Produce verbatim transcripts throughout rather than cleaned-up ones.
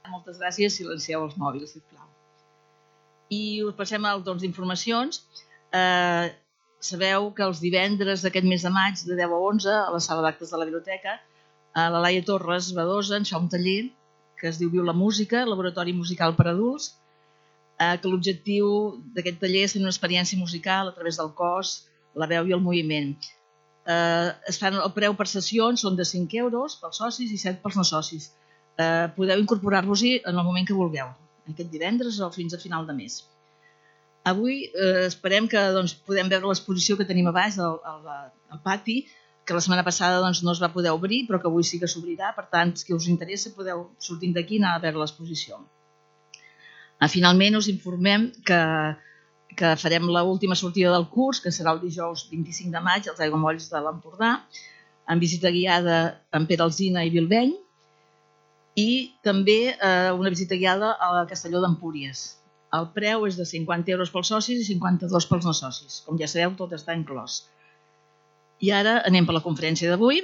Moltes gràcies, silencieu els mòbils, sisplau. I us passem al torn d'informacions. Eh, sabeu que els divendres d'aquest mes de maig, de deu a onze, a la sala d'actes de la biblioteca, a la Laia Torres Badosa ens fa un taller que es diu Viu la música, laboratori musical per adults, eh, que l'objectiu d'aquest taller és fer una experiència musical a través del cos, la veu i el moviment. Eh, es fan el preu per sessions, són de cinc euros pels socis i set pels no socis. Eh, podeu incorporar-vos-hi en el moment que vulgueu, aquest divendres o fins a final de mes. Avui eh, esperem que doncs, podem veure l'exposició que tenim a baix al, al, al pati, que la setmana passada doncs, no es va poder obrir, però que avui sí que s'obrirà. Per tant, si us interessa, podeu sortir d'aquí i anar a veure l'exposició. Ah, finalment, us informem que, que farem l'última sortida del curs, que serà el dijous vint-i-cinc de maig, als Aiguamolls de l'Empordà, amb visita guiada amb Pere Alsina i Bilbeny, i també eh, una visita guiada a Castelló d'Empúries. El preu és de cinquanta euros pels socis i cinquanta-dos pels no socis. Com ja sabeu, tot està inclòs. I ara anem per la conferència d'avui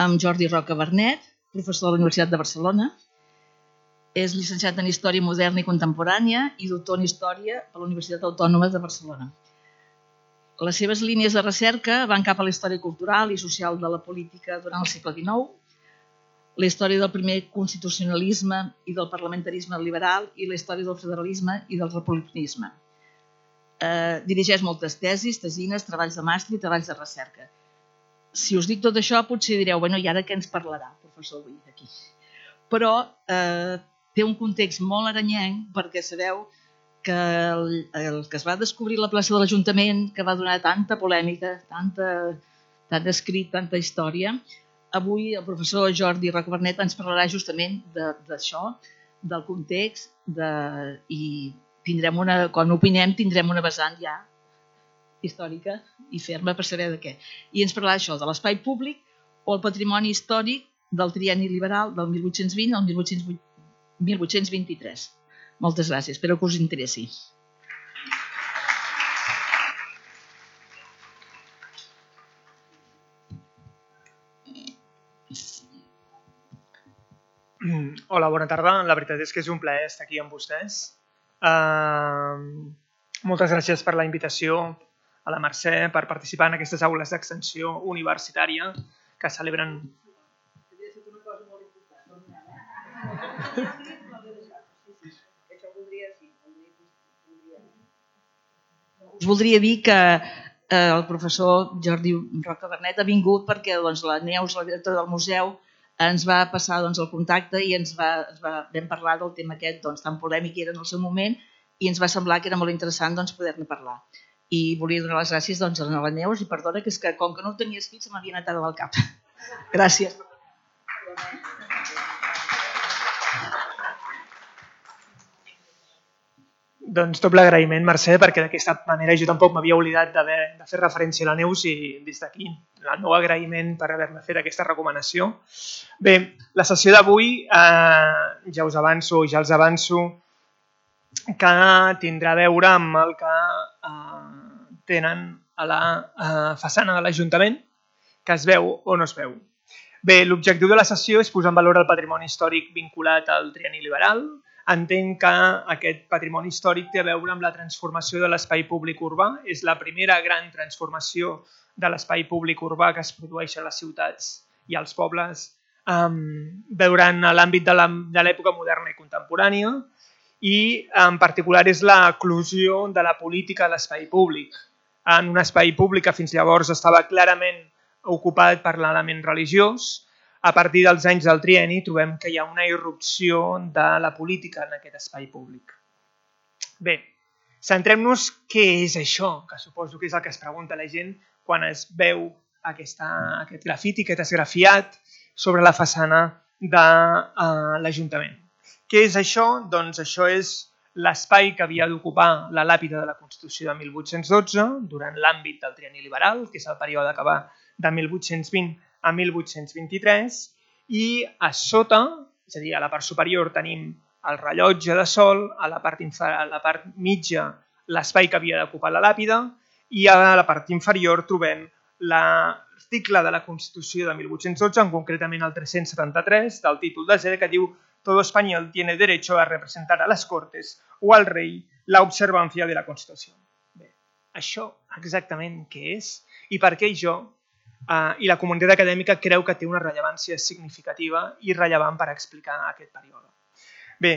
amb Jordi Roca Bernet, professor de la Universitat de Barcelona. És llicenciat en Història Moderna i Contemporània i doctor en Història per la Universitat Autònoma de Barcelona. Les seves línies de recerca van cap a la història cultural i social de la política durant el segle dinou, la història del primer constitucionalisme i del parlamentarisme liberal i la història del federalisme i del republicanisme. Eh, dirigeix moltes tesis, tesines, treballs de màster i treballs de recerca. Si us dic tot això, potser direu, bueno, i ara què ens parlarà, professor, avui aquí? Però eh, té un context molt aranyenc perquè sabeu que el, el que es va descobrir a la plaça de l'Ajuntament, que va donar tanta polèmica, tanta, tant escrit, tanta història, avui el professor Jordi Roca Bernet ens parlarà justament d'això, de, del context, de, i tindrem una, quan opinem tindrem una vessant ja històrica i ferma per saber de què. I ens parlarà això, de l'espai públic o el patrimoni històric del trienni liberal del mil vuit-cents vint al mil vuit-cents vint-i-tres. Moltes gràcies, espero que us interessi. Hola, bona tarda. La veritat és que és un plaer estar aquí amb vostès. Uh, moltes gràcies per la invitació a la Mercè per participar en aquestes aules d'extensió universitària que celebren... Us voldria dir que eh, el professor Jordi Roca Bernet ha vingut perquè doncs, la Neus, la directora del museu, ens va passar doncs, el contacte i ens va, ens va, vam parlar del tema aquest doncs, tan polèmic que era en el seu moment i ens va semblar que era molt interessant doncs, poder-ne parlar. I volia donar les gràcies doncs, a la Neus i perdona que és que com que no ho tenia escrit se m'havia anat ara del cap. Gràcies. Doncs doble agraïment, Mercè, perquè d'aquesta manera jo tampoc m'havia oblidat de fer referència a la Neus i des d'aquí el meu agraïment per haver-me fet aquesta recomanació. Bé, la sessió d'avui eh, ja us avanço, ja els avanço que tindrà a veure amb el que eh, tenen a la eh, façana de l'Ajuntament, que es veu o no es veu. Bé, l'objectiu de la sessió és posar en valor el patrimoni històric vinculat al trienni liberal. Entenc que aquest patrimoni històric té a veure amb la transformació de l'espai públic urbà. És la primera gran transformació de l'espai públic urbà que es produeix a les ciutats i als pobles um, durant l'àmbit de l'època moderna i contemporània i en particular és l'eclosió de la política a l'espai públic. En un espai públic que fins llavors estava clarament ocupat per l'element religiós, a partir dels anys del trienni trobem que hi ha una irrupció de la política en aquest espai públic. Bé, centrem-nos què és això, que suposo que és el que es pregunta la gent quan es veu aquesta, aquest grafiti, aquest esgrafiat sobre la façana de uh, l'Ajuntament. Què és això? Doncs això és l'espai que havia d'ocupar la làpida de la Constitució de mil vuit-cents dotze durant l'àmbit del trienni liberal, que és el període que va de mil vuit-cents vint a mil vuit-cents vint-i-tres, i a sota, és a dir, a la part superior tenim el rellotge de sol, a la part, a la part mitja l'espai que havia d'ocupar la làpida i a la part inferior trobem l'article de la Constitució de mil vuit-cents dotze, en concretament el tres-cents setanta-tres, del títol desè, que diu todo español tiene derecho a representar a las Cortes o al rei la observancia de la Constitució. Bé, això exactament què és i per què jo uh, i la comunitat acadèmica creu que té una rellevància significativa i rellevant per explicar aquest període. Bé,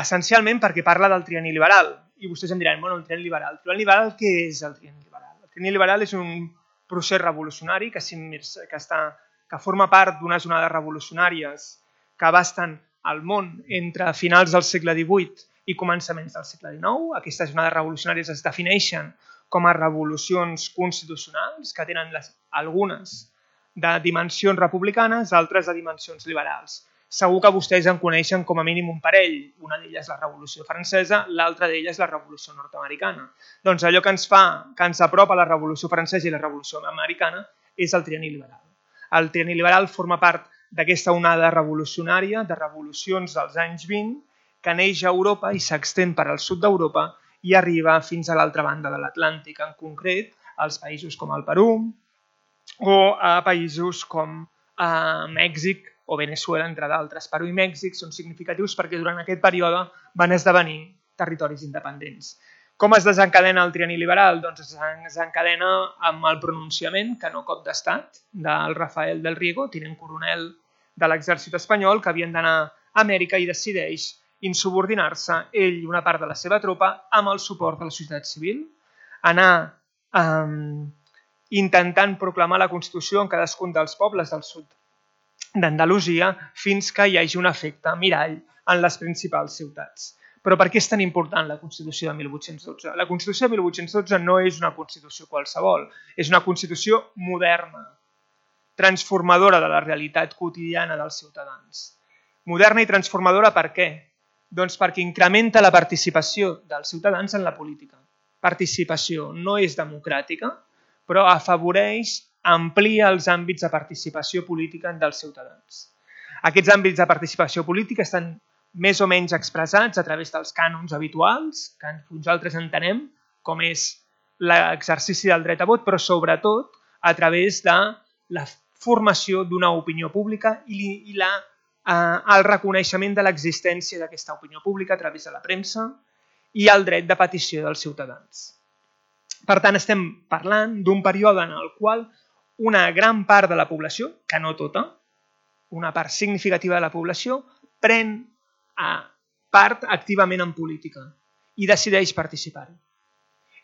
essencialment perquè parla del trienni liberal i vostès em diran, bueno, el trienni liberal. El trienni liberal, què és el trienni liberal? El trienni liberal és un procés revolucionari que, que, està, que forma part d'unes onades revolucionàries que abasten el món entre finals del segle divuit i començaments del segle dinou. Aquestes onades revolucionàries es defineixen com a revolucions constitucionals que tenen les, algunes de dimensions republicanes, altres de dimensions liberals. Segur que vostès en coneixen com a mínim un parell. Una d'elles és la Revolució Francesa, l'altra d'elles és la Revolució Nord-americana. Doncs allò que ens fa, que ens apropa la Revolució Francesa i la Revolució Americana és el trienni liberal. El trienni liberal forma part d'aquesta onada revolucionària, de revolucions dels anys vint, que neix a Europa i s'extén per al sud d'Europa i arriba fins a l'altra banda de l'Atlàntic, en concret als països com el Perú o a països com a Mèxic o Venezuela, entre d'altres. Perú i Mèxic són significatius perquè durant aquest període van esdevenir territoris independents. Com es desencadena el trienni liberal? Doncs es desencadena amb el pronunciament, que no cop d'estat, del Rafael del Riego, tinent coronel de l'exèrcit espanyol, que havien d'anar a Amèrica i decideix insubordinar-se, ell i una part de la seva tropa, amb el suport de la societat civil, anar eh, intentant proclamar la Constitució en cadascun dels pobles del sud d'Andalusia fins que hi hagi un efecte mirall en les principals ciutats. Però per què és tan important la Constitució de mil vuit-cents dotze? La Constitució de mil vuit-cents dotze no és una Constitució qualsevol, és una Constitució moderna, transformadora de la realitat quotidiana dels ciutadans. Moderna i transformadora per què? Doncs perquè incrementa la participació dels ciutadans en la política. Participació no és democràtica, però afavoreix, amplia els àmbits de participació política dels ciutadans. Aquests àmbits de participació política estan més o menys expressats a través dels cànons habituals, que nosaltres entenem com és l'exercici del dret a vot, però sobretot a través de la formació d'una opinió pública i, i la, eh, el reconeixement de l'existència d'aquesta opinió pública a través de la premsa i el dret de petició dels ciutadans. Per tant, estem parlant d'un període en el qual una gran part de la població, que no tota, una part significativa de la població, pren part activament en política i decideix participar-hi.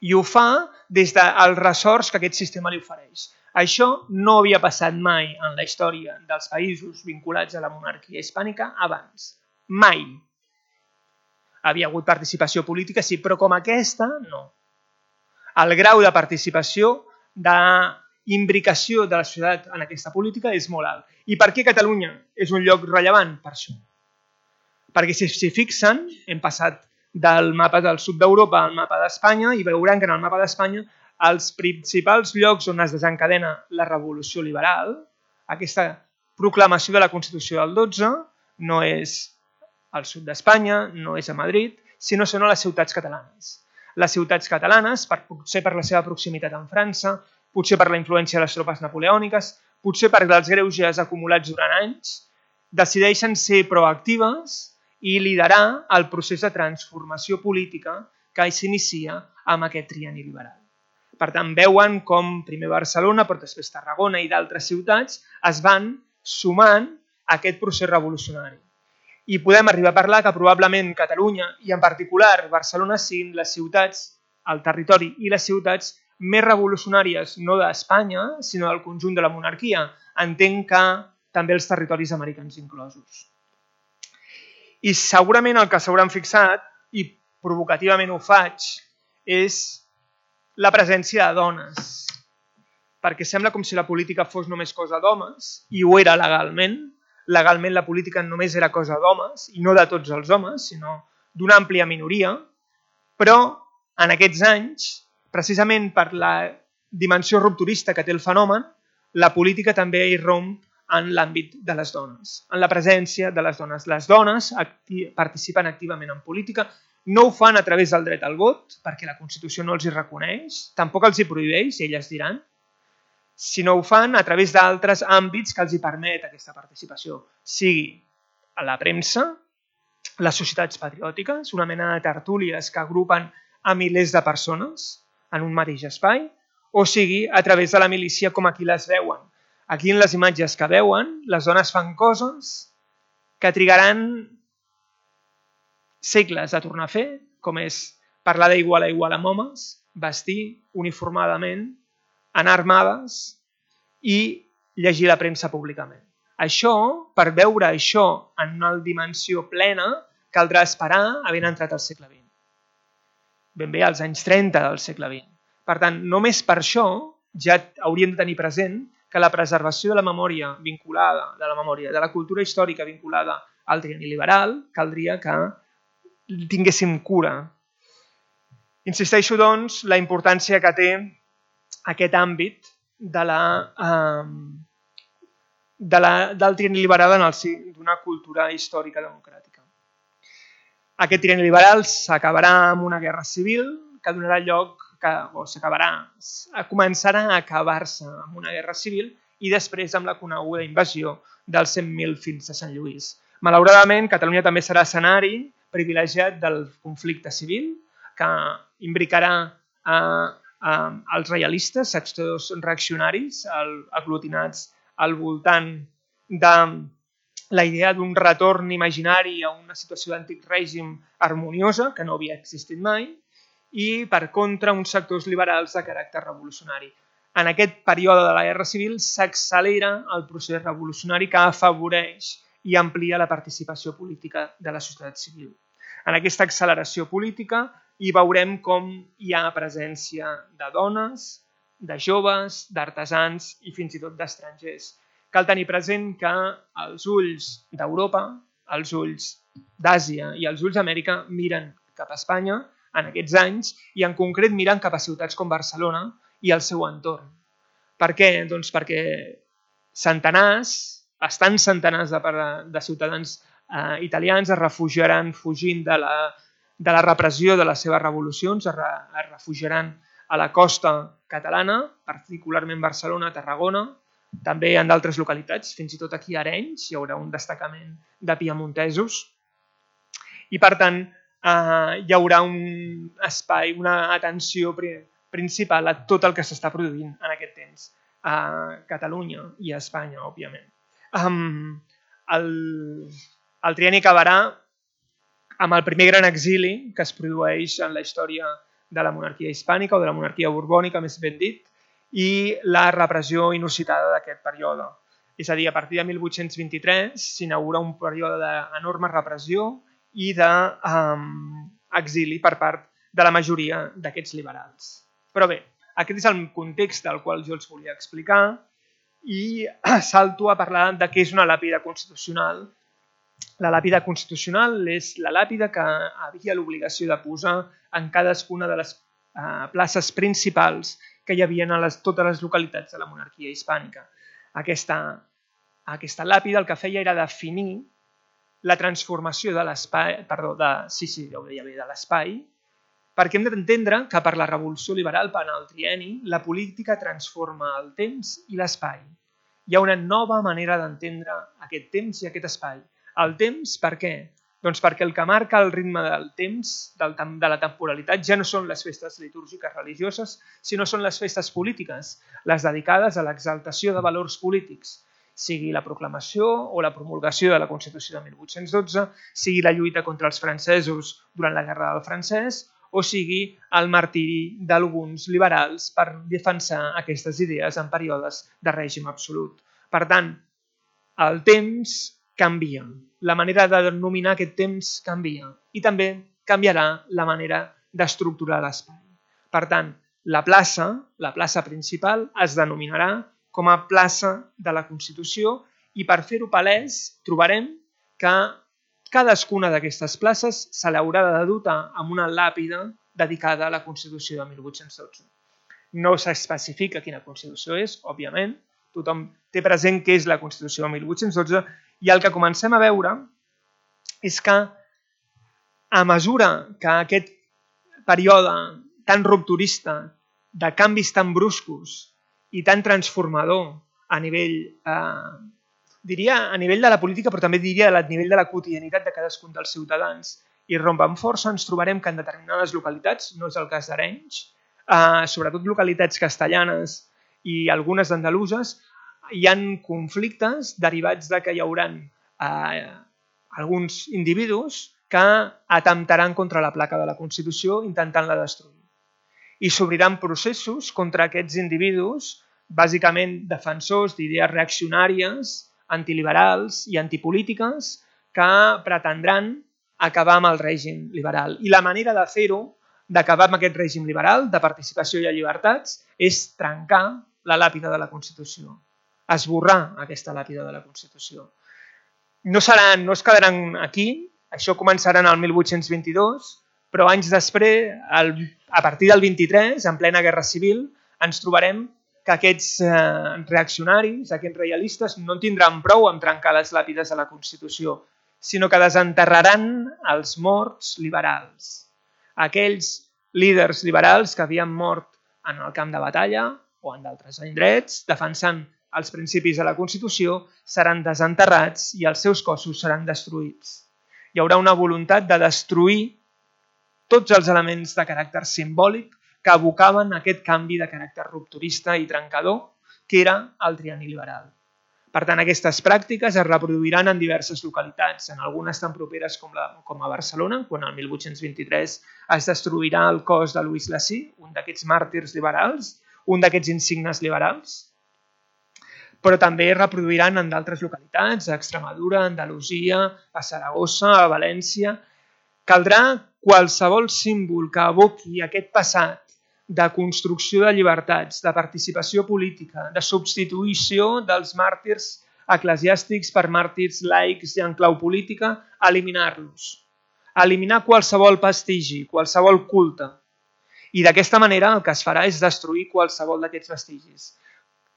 I ho fa des dels ressorts que aquest sistema li ofereix. Això no havia passat mai en la història dels països vinculats a la monarquia hispànica abans. Mai. Havia hagut participació política, sí, però com aquesta, no. El grau de participació, d'imbricació de la societat en aquesta política és molt alt. I per què Catalunya és un lloc rellevant? Per això. Perquè si s'hi fixen, hem passat del mapa del sud d'Europa al mapa d'Espanya i veuran que en el mapa d'Espanya els principals llocs on es desencadena la revolució liberal, aquesta proclamació de la Constitució del dotze, no és al sud d'Espanya, no és a Madrid, sinó són a les ciutats catalanes. Les ciutats catalanes, potser per la seva proximitat amb França, potser per la influència de les tropes napoleòniques, potser per els greuges acumulats durant anys, decideixen ser proactives i liderar el procés de transformació política que s'inicia amb aquest trienni liberal. Per tant, veuen com primer Barcelona, però després Tarragona i d'altres ciutats es van sumant a aquest procés revolucionari. I podem arribar a parlar que probablement Catalunya, i en particular Barcelona, siguin les ciutats, el territori i les ciutats més revolucionàries no d'Espanya, sinó del conjunt de la monarquia. Entenc que també els territoris americans inclosos. I segurament el que s'hauran fixat, i provocativament ho faig, és la presència de dones. Perquè sembla com si la política fos només cosa d'homes, i ho era legalment. Legalment la política només era cosa d'homes, i no de tots els homes, sinó d'una àmplia minoria. Però en aquests anys, precisament per la dimensió rupturista que té el fenomen, la política també irromp en l'àmbit de les dones, en la presència de les dones. Les dones acti- participen activament en política, no ho fan a través del dret al vot, perquè la Constitució no els hi reconeix, tampoc els hi prohibeix, elles diran, sinó ho fan a través d'altres àmbits que els hi permet aquesta participació, sigui a la premsa, les societats patriòtiques, una mena de tertúlies que agrupen a milers de persones en un mateix espai, o sigui, a través de la milícia com aquí les veuen. Aquí en les imatges que veuen, les dones fan coses que trigaran segles a tornar a fer, com és parlar d'igual a igual amb homes, vestir uniformadament, anar armades i llegir la premsa públicament. Això, per veure això en una dimensió plena, caldrà esperar havent entrat al segle vint. Ben bé als anys trenta del segle vint. Per tant, només per això ja hauríem de tenir present que la preservació de la memòria vinculada, de la memòria, de la cultura històrica vinculada al trienni liberal, caldria que tinguéssim cura. Insisteixo, doncs, la importància que té aquest àmbit de la, eh, de la, del trienni liberal en el si d'una cultura històrica democràtica. Aquest trienni liberal s'acabarà amb una guerra civil que donarà lloc, que, o s'acabarà, començarà a acabar-se amb una guerra civil i després amb la coneguda invasió dels cent mil fills de Sant Lluís. Malauradament, Catalunya també serà escenari privilegiat del conflicte civil que imbricarà a, a, als reialistes, sectors reaccionaris, el, aglutinats al voltant de la idea d'un retorn imaginari a una situació d'antic règim harmoniosa, que no havia existit mai, i, per contra, uns sectors liberals de caràcter revolucionari. En aquest període de la Guerra Civil s'accelera el procés revolucionari que afavoreix i amplia la participació política de la societat civil. En aquesta acceleració política hi veurem com hi ha presència de dones, de joves, d'artesans i fins i tot d'estrangers. Cal tenir present que els ulls d'Europa, els ulls d'Àsia i els ulls d'Amèrica miren cap a Espanya en aquests anys i en concret miren cap a ciutats com Barcelona i el seu entorn. Per què? Doncs perquè centenars, bastants centenars de, de ciutadans eh, italians es refugiaran fugint de la, de la repressió de les seves revolucions, es, re, es refugiaran a la costa catalana, particularment Barcelona, Tarragona, també en d'altres localitats, fins i tot aquí a Arenys hi haurà un destacament de piemontesos i per tant eh, hi haurà un espai, una atenció principal a tot el que s'està produint en aquest temps a Catalunya i a Espanya, òbviament. Um, el, el trienni acabarà amb el primer gran exili que es produeix en la història de la monarquia hispànica o de la monarquia borbònica, més ben dit, i la repressió inusitada d'aquest període. És a dir, a partir de mil vuit-cents vint-i-tres s'inaugura un període d'enorme repressió i d'exili per part de la majoria d'aquests liberals. Però bé, aquest és el context del qual jo els volia explicar i salto a parlar de què és una làpida constitucional. La làpida constitucional és la làpida que havia l'obligació de posar en cadascuna de les eh, places principals que hi havia a les, totes les localitats de la monarquia hispànica. Aquesta, aquesta làpida el que feia era definir la transformació de l'espai, perdó, de, sí, sí, ja ho deia bé, de l'espai, perquè hem d'entendre que per la revolució liberal, per el trienni, la política transforma el temps i l'espai. Hi ha una nova manera d'entendre aquest temps i aquest espai. El temps, per què? Doncs perquè el que marca el ritme del temps, del, de la temporalitat, ja no són les festes litúrgiques religioses, sinó són les festes polítiques, les dedicades a l'exaltació de valors polítics, sigui la proclamació o la promulgació de la Constitució de mil vuit-cents dotze, sigui la lluita contra els francesos durant la Guerra del Francès, o sigui el martiri d'alguns liberals per defensar aquestes idees en períodes de règim absolut. Per tant, el temps canvia, la manera de denominar aquest temps canvia i també canviarà la manera d'estructurar l'espai. Per tant, la plaça, la plaça principal, es denominarà com a plaça de la Constitució i per fer-ho palès trobarem que cadascuna d'aquestes places se l'haurà de dotar amb una làpida dedicada a la Constitució de mil vuit-cents dotze. No s'especifica quina Constitució és, òbviament, tothom té present què és la Constitució de mil vuit-cents dotze i el que comencem a veure és que a mesura que aquest període tan rupturista, de canvis tan bruscos i tan transformador a nivell eh, diria a nivell de la política, però també diria a nivell de la quotidianitat de cadascun dels ciutadans. I romp amb força ens trobarem que en determinades localitats, no és el cas d'Arenys, eh, sobretot localitats castellanes i algunes d'andaluses, hi ha conflictes derivats de que hi haurà eh, alguns individus que atemptaran contra la placa de la Constitució intentant-la destruir. I s'obriran processos contra aquests individus, bàsicament defensors d'idees reaccionàries, antiliberals i antipolítiques que pretendran acabar amb el règim liberal. I la manera de fer-ho, d'acabar amb aquest règim liberal, de participació i de llibertats, és trencar la làpida de la Constitució, esborrar aquesta làpida de la Constitució. No, seran, no es quedaran aquí, això començarà en el mil vuit-cents vint-i-dos, però anys després, a partir del vint-i-tres, en plena Guerra Civil, ens trobarem que aquests reaccionaris, aquests reialistes, no tindran prou amb trencar les làpides de la Constitució, sinó que desenterraran els morts liberals. Aquells líders liberals que havien mort en el camp de batalla o en d'altres indrets, defensant els principis de la Constitució, seran desenterrats i els seus cossos seran destruïts. Hi haurà una voluntat de destruir tots els elements de caràcter simbòlic que abocaven aquest canvi de caràcter rupturista i trencador, que era el trienni liberal. Per tant, aquestes pràctiques es reproduiran en diverses localitats, en algunes tan properes com, la, com a Barcelona, quan el mil vuit-cents vint-i-tres es destruirà el cos de Louis Lacy, un d'aquests màrtirs liberals, un d'aquests insignes liberals, però també es reproduiran en d'altres localitats, a Extremadura, a Andalusia, a Saragossa, a València. Caldrà qualsevol símbol que evoqui aquest passat de construcció de llibertats, de participació política, de substitució dels màrtirs eclesiàstics per màrtirs laics i en clau política, eliminar-los. Eliminar qualsevol vestigi, qualsevol culte. I d'aquesta manera el que es farà és destruir qualsevol d'aquests vestigis,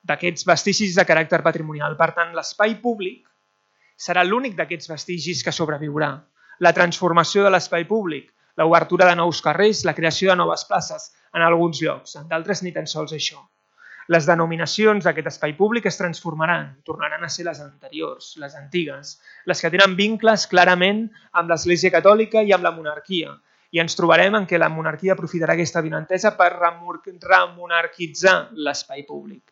d'aquests vestigis de caràcter patrimonial. Per tant, l'espai públic serà l'únic d'aquests vestigis que sobreviurà. La transformació de l'espai públic, l'obertura de nous carrers, la creació de noves places en alguns llocs, en d'altres ni tan sols això. Les denominacions d'aquest espai públic es transformaran, tornaran a ser les anteriors, les antigues, les que tenen vincles clarament amb l'Església Catòlica i amb la monarquia. I ens trobarem en què la monarquia aprofitarà aquesta avinentesa per remonarquitzar l'espai públic.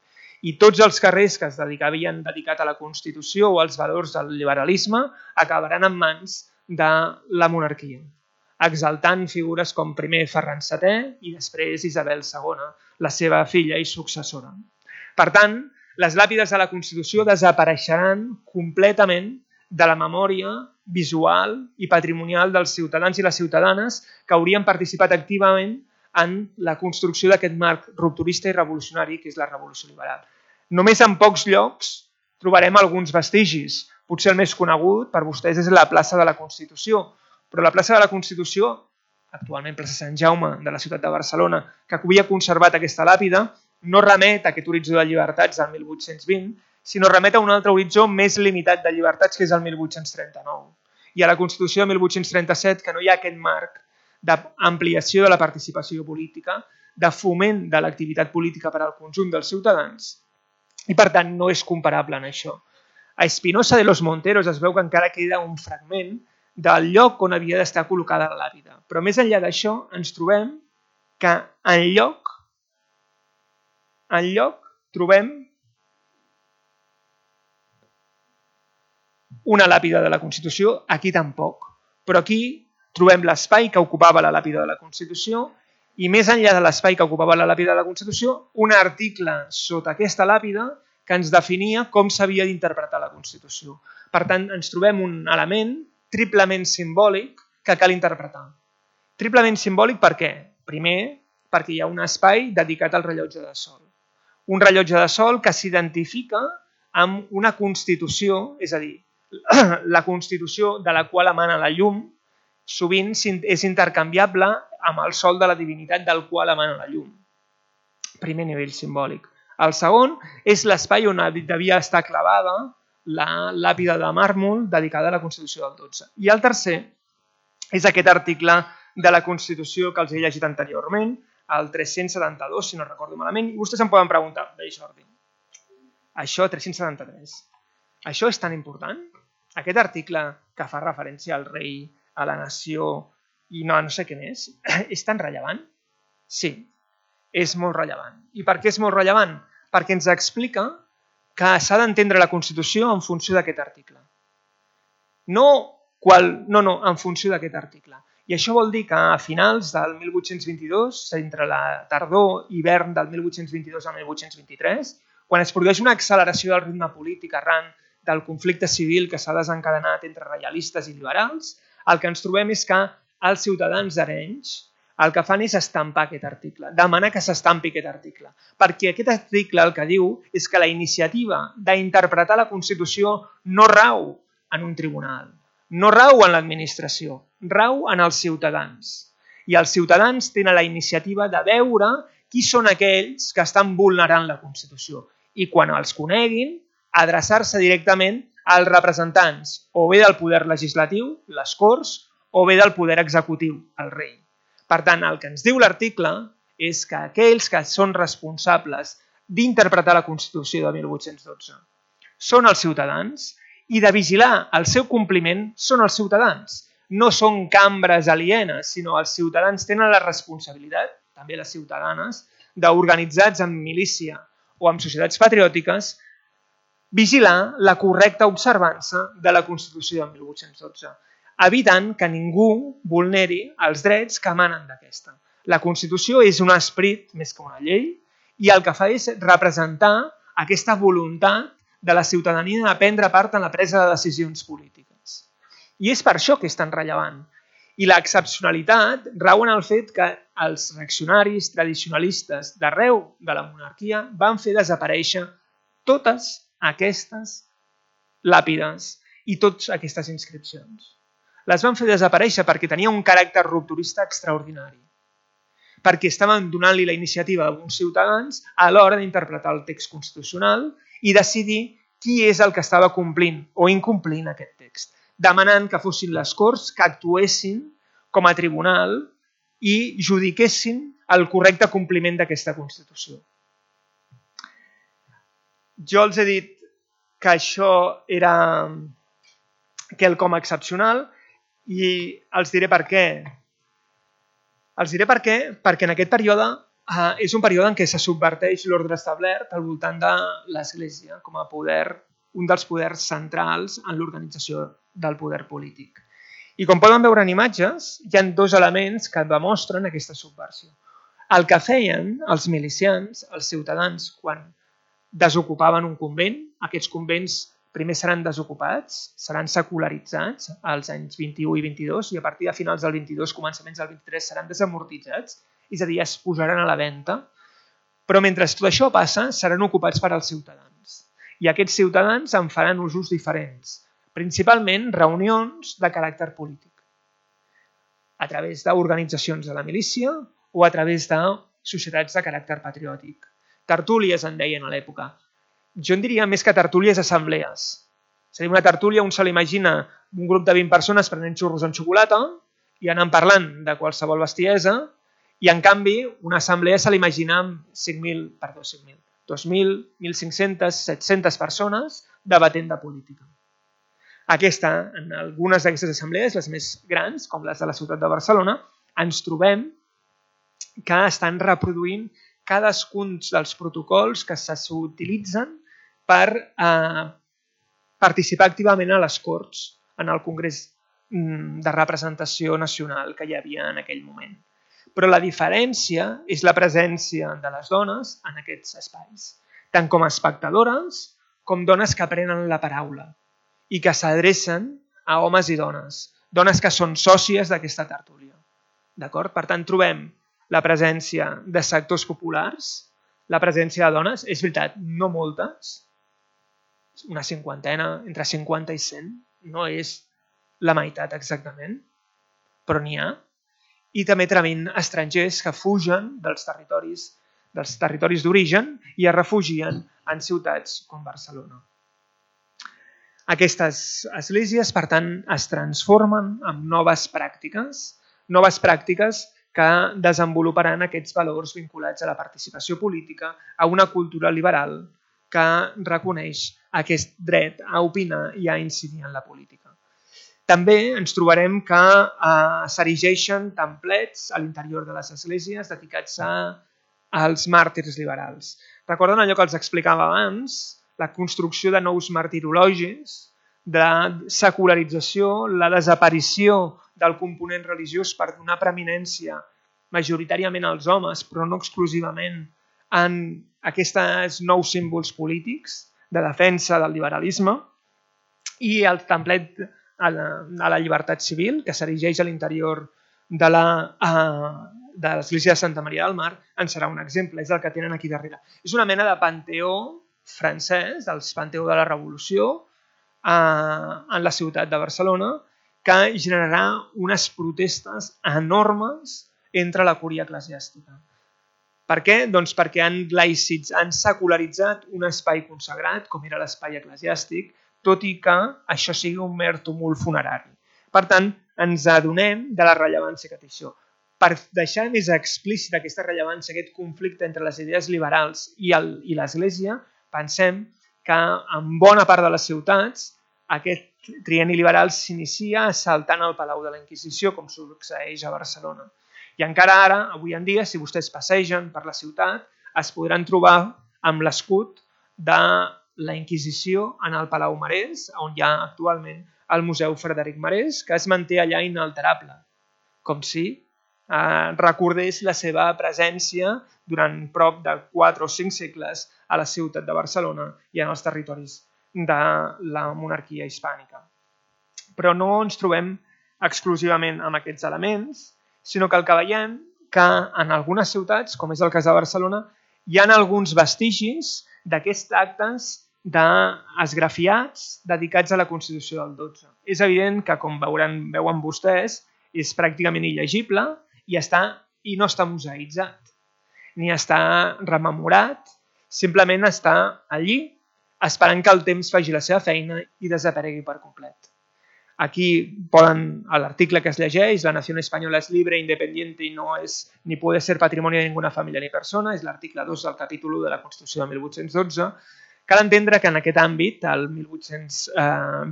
I tots els carrers que es havien dedicat a la Constitució o als valors del liberalisme acabaran en mans de la monarquia, exaltant figures com primer Ferran setè i després Isabel segona, la seva filla i successora. Per tant, les làpides de la Constitució desapareixeran completament de la memòria visual i patrimonial dels ciutadans i les ciutadanes que haurien participat activament en la construcció d'aquest marc rupturista i revolucionari que és la Revolució Liberal. Només en pocs llocs trobarem alguns vestigis. Potser el més conegut per vostès és la plaça de la Constitució, però la plaça de la Constitució, actualment plaça Sant Jaume de la ciutat de Barcelona, que havia conservat aquesta làpida, no remet a aquest horitzó de llibertats del mil vuit-cents vint, sinó remet a un altre horitzó més limitat de llibertats, que és el mil vuit-cents trenta-nou. I a la Constitució de mil vuit-cents trenta-set, que no hi ha aquest marc d'ampliació de la participació política, de foment de l'activitat política per al conjunt dels ciutadans, i per tant no és comparable en això. A Espinosa de los Monteros es veu que encara queda un fragment del lloc on havia d'estar col·locada la làpida. Però més enllà d'això ens trobem que en lloc, en lloc trobem una làpida de la Constitució, aquí tampoc. Però aquí trobem l'espai que ocupava la làpida de la Constitució i més enllà de l'espai que ocupava la làpida de la Constitució, un article sota aquesta làpida que ens definia com s'havia d'interpretar la Constitució. Per tant, ens trobem un element triplement simbòlic que cal interpretar. Triplement simbòlic per què? Primer, perquè hi ha un espai dedicat al rellotge de sol. Un rellotge de sol que s'identifica amb una Constitució, és a dir, la Constitució de la qual emana la llum, sovint és intercanviable amb el sol de la divinitat del qual emana la llum. Primer nivell simbòlic. El segon és l'espai on devia estar clavada la làpida de màrmol dedicada a la Constitució del dotze. I el tercer és aquest article de la Constitució que els he llegit anteriorment, el tres-cents setanta-dos, si no recordo malament, i vostès em poden preguntar, bé, Jordi, això tres-cents setanta-tres, Això és tan important? Aquest article que fa referència al rei, a la nació i no, no sé què més, és tan rellevant? Sí, és molt rellevant. I per què és molt rellevant? Perquè ens explica que s'ha d'entendre la Constitució en funció d'aquest article. No, qual, no, no, en funció d'aquest article. I això vol dir que a finals del mil vuit-cents vint-i-dos, entre la tardor i hivern del mil vuit-cents vint-i-dos al mil vuit-cents vint-i-tres, quan es produeix una acceleració del ritme polític arran del conflicte civil que s'ha desencadenat entre reialistes i liberals, el que ens trobem és que els ciutadans d'Arenys el que fan és estampar aquest article, demanar que s'estampi aquest article, perquè aquest article el que diu és que la iniciativa d'interpretar la Constitució no rau en un tribunal, no rau en l'administració, rau en els ciutadans. I els ciutadans tenen la iniciativa de veure qui són aquells que estan vulnerant la Constitució i quan els coneguin, adreçar-se directament als representants o bé del poder legislatiu, les Corts, o bé del poder executiu, el rei. Per tant, el que ens diu l'article és que aquells que són responsables d'interpretar la Constitució de mil vuit-cents dotze són els ciutadans i de vigilar el seu compliment són els ciutadans. No són cambres alienes, sinó els ciutadans tenen la responsabilitat, també les ciutadanes, d'organitzats en milícia o en societats patriòtiques, vigilar la correcta observança de la Constitució de mil vuit-cents dotze, evitant que ningú vulneri els drets que emanen d'aquesta. La Constitució és un esperit més que una llei i el que fa és representar aquesta voluntat de la ciutadania de prendre part en la presa de decisions polítiques. I és per això que és tan rellevant. I l'excepcionalitat rau en el fet que els reaccionaris tradicionalistes d'arreu de la monarquia van fer desaparèixer totes aquestes làpides i totes aquestes inscripcions. Les van fer desaparèixer perquè tenia un caràcter rupturista extraordinari, perquè estaven donant-li la iniciativa a uns ciutadans a l'hora d'interpretar el text constitucional i decidir qui és el que estava complint o incomplint aquest text, demanant que fossin les Corts que actuessin com a tribunal i judiquessin el correcte compliment d'aquesta Constitució. Jo els he dit que això era quelcom excepcional i els diré per què. Els diré per què, perquè en aquest període eh, és un període en què se subverteix l'ordre establert al voltant de l'Església com a poder, un dels poders centrals en l'organització del poder polític. I com poden veure en imatges, hi ha dos elements que demostren aquesta subversió. El que feien els milicians, els ciutadans, quan desocupaven un convent, aquests convents primer seran desocupats, seran secularitzats als anys vint-i-u i vint-i-dos i a partir de finals del vint-i-dos, començaments del vint-i-tres, seran desamortitzats, és a dir, es posaran a la venda, però mentre tot això passa, seran ocupats per als ciutadans. I aquests ciutadans en faran usos diferents, principalment reunions de caràcter polític, a través d'organitzacions de la milícia o a través de societats de caràcter patriòtic. Tertúlies en deien a l'època. Jo en diria més que tertúlies, assemblees. És a dir, una tertúlia, un se l'imagina un grup de vint persones prenent xurros amb xocolata i anant parlant de qualsevol bestiesa i, en canvi, una assemblea se l'imagina amb cinc mil, perdó, cinc mil, dos mil, mil cinc-centes, set-centes persones debatent de política. Aquesta, en algunes d'aquestes assemblees, les més grans, com les de la ciutat de Barcelona, ens trobem que estan reproduint cadascun dels protocols que s'utilitzen per eh, participar activament a les Corts, en el Congrés de Representació Nacional que hi havia en aquell moment. Però la diferència és la presència de les dones en aquests espais, tant com a espectadores com dones que prenen la paraula i que s'adrecen a homes i dones, dones que són sòcies d'aquesta tertúlia. D'acord? Per tant, trobem la presència de sectors populars, la presència de dones, és veritat, no moltes, una cinquantena, entre cinquanta i cent, no és la meitat exactament, però n'hi ha, i també trobem estrangers que fugen dels territoris dels territoris d'origen i es refugien en ciutats com Barcelona. Aquestes esglésies, per tant, es transformen en noves pràctiques, noves pràctiques que desenvoluparan aquests valors vinculats a la participació política, a una cultura liberal que reconeix aquest dret a opinar i a incidir en la política. També ens trobarem que eh, s'erigeixen templets a l'interior de les esglésies dedicats a, als màrtirs liberals. Recorden allò que els explicava abans, la construcció de nous martirologis, de secularització, la desaparició del component religiós per donar preeminència majoritàriament als homes, però no exclusivament en aquests nous símbols polítics de defensa del liberalisme, i el templet a la, a la llibertat civil, que s'erigeix a l'interior de l'església de Santa Maria del Mar, en serà un exemple, és el que tenen aquí darrere. És una mena de panteó francès, del panteó de la Revolució, eh, en la ciutat de Barcelona, que generarà unes protestes enormes entre la cúria eclesiàstica. Per què? Doncs perquè han laïcit, han secularitzat un espai consagrat, com era l'espai eclesiàstic, tot i que això sigui un mer tumult funerari. Per tant, ens adonem de la rellevància que té això. Per deixar més explícita aquesta rellevància, aquest conflicte entre les idees liberals i l'Església, pensem que en bona part de les ciutats aquest trienni liberal s'inicia assaltant el Palau de la Inquisició, com succeeix a Barcelona. I encara ara, avui en dia, si vostès passegen per la ciutat, es podran trobar amb l'escut de la Inquisició en el Palau Marès, on hi ha actualment el Museu Frederic Marès, que es manté allà inalterable, com si eh, recordés la seva presència durant prop de quatre o cinc segles a la ciutat de Barcelona i en els territoris de la monarquia hispànica. Però no ens trobem exclusivament amb aquests elements, sinó que el que veiem que en algunes ciutats, com és el cas de Barcelona, hi ha alguns vestigis d'aquests actes d'esgrafiats dedicats a la Constitució del dotze. És evident que, com veuran, veuen vostès, és pràcticament il·legible i, està, i no està museïtzat, ni està rememorat, simplement està allí esperant que el temps faci la seva feina i desaparegui per complet. Aquí poden, a l'article que es llegeix, la nació espanyola és libre, independiente i no és ni puede ser patrimonio de ninguna família ni persona, és l'article dos del capítol u de la Constitució de mil vuit-cents dotze. Cal entendre que en aquest àmbit, el mil vuit-cents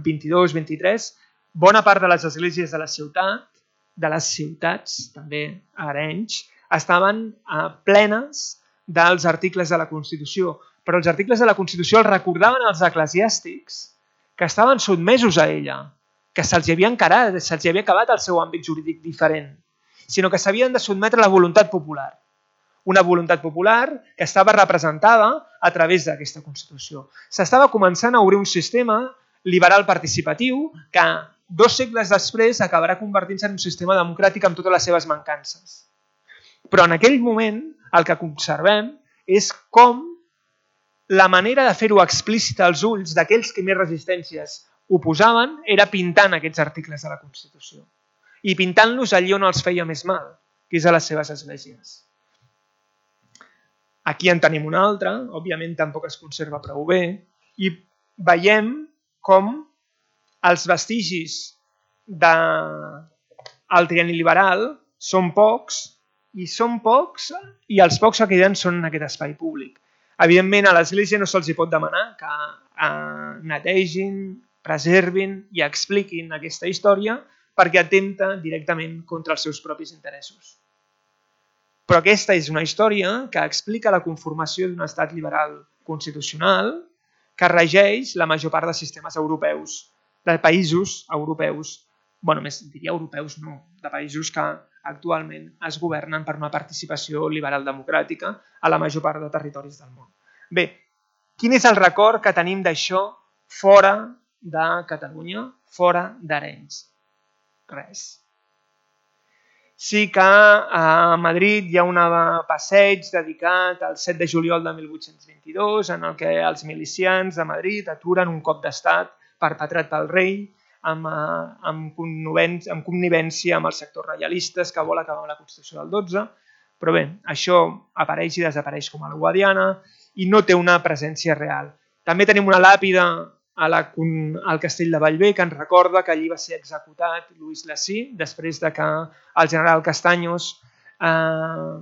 vint-i-dos vint-i-tres, bona part de les esglésies de la ciutat, de les ciutats, també a Arenys, estaven plenes dels articles de la Constitució, però els articles de la Constitució els recordaven als eclesiàstics que estaven sotmesos a ella, que se'ls havia encarat, se'ls havia acabat el seu àmbit jurídic diferent, sinó que s'havien de sotmetre a la voluntat popular. Una voluntat popular que estava representada a través d'aquesta Constitució. S'estava començant a obrir un sistema liberal participatiu que dos segles després acabarà convertint-se en un sistema democràtic amb totes les seves mancances. Però en aquell moment el que observem és com la manera de fer-ho explícita als ulls d'aquells que més resistències oposaven era pintant aquests articles de la Constitució i pintant-los allí on els feia més mal, que és a les seves esglésies. Aquí en tenim una altra, òbviament tampoc es conserva prou bé, i veiem com els vestigis del trienni liberal són pocs, i són pocs, i els pocs que queden són en aquest espai públic. Evidentment, a l'Església no se'ls pot demanar que netegin, preservin i expliquin aquesta història perquè atempta directament contra els seus propis interessos. Però aquesta és una història que explica la conformació d'un estat liberal constitucional que regeix la major part de sistemes europeus, de països europeus, bueno, més diria europeus no, de països que actualment es governen per una participació liberal democràtica a la major part de territoris del món. Bé, quin és el record que tenim d'això fora de Catalunya, fora d'Arenys? Res. Sí que a Madrid hi ha un passeig dedicat al set de juliol de mil vuit-cents vint-i-dos en el que els milicians de Madrid aturen un cop d'estat perpetrat pel rei amb, amb, amb connivència amb els sectors reialistes que vol acabar amb la Constitució del dotze. Però bé, això apareix i desapareix com a la Guadiana i no té una presència real. També tenim una làpida a la, al castell de Bellver, que ens recorda que allí va ser executat Lluís Lací, després de que el general Castaños eh,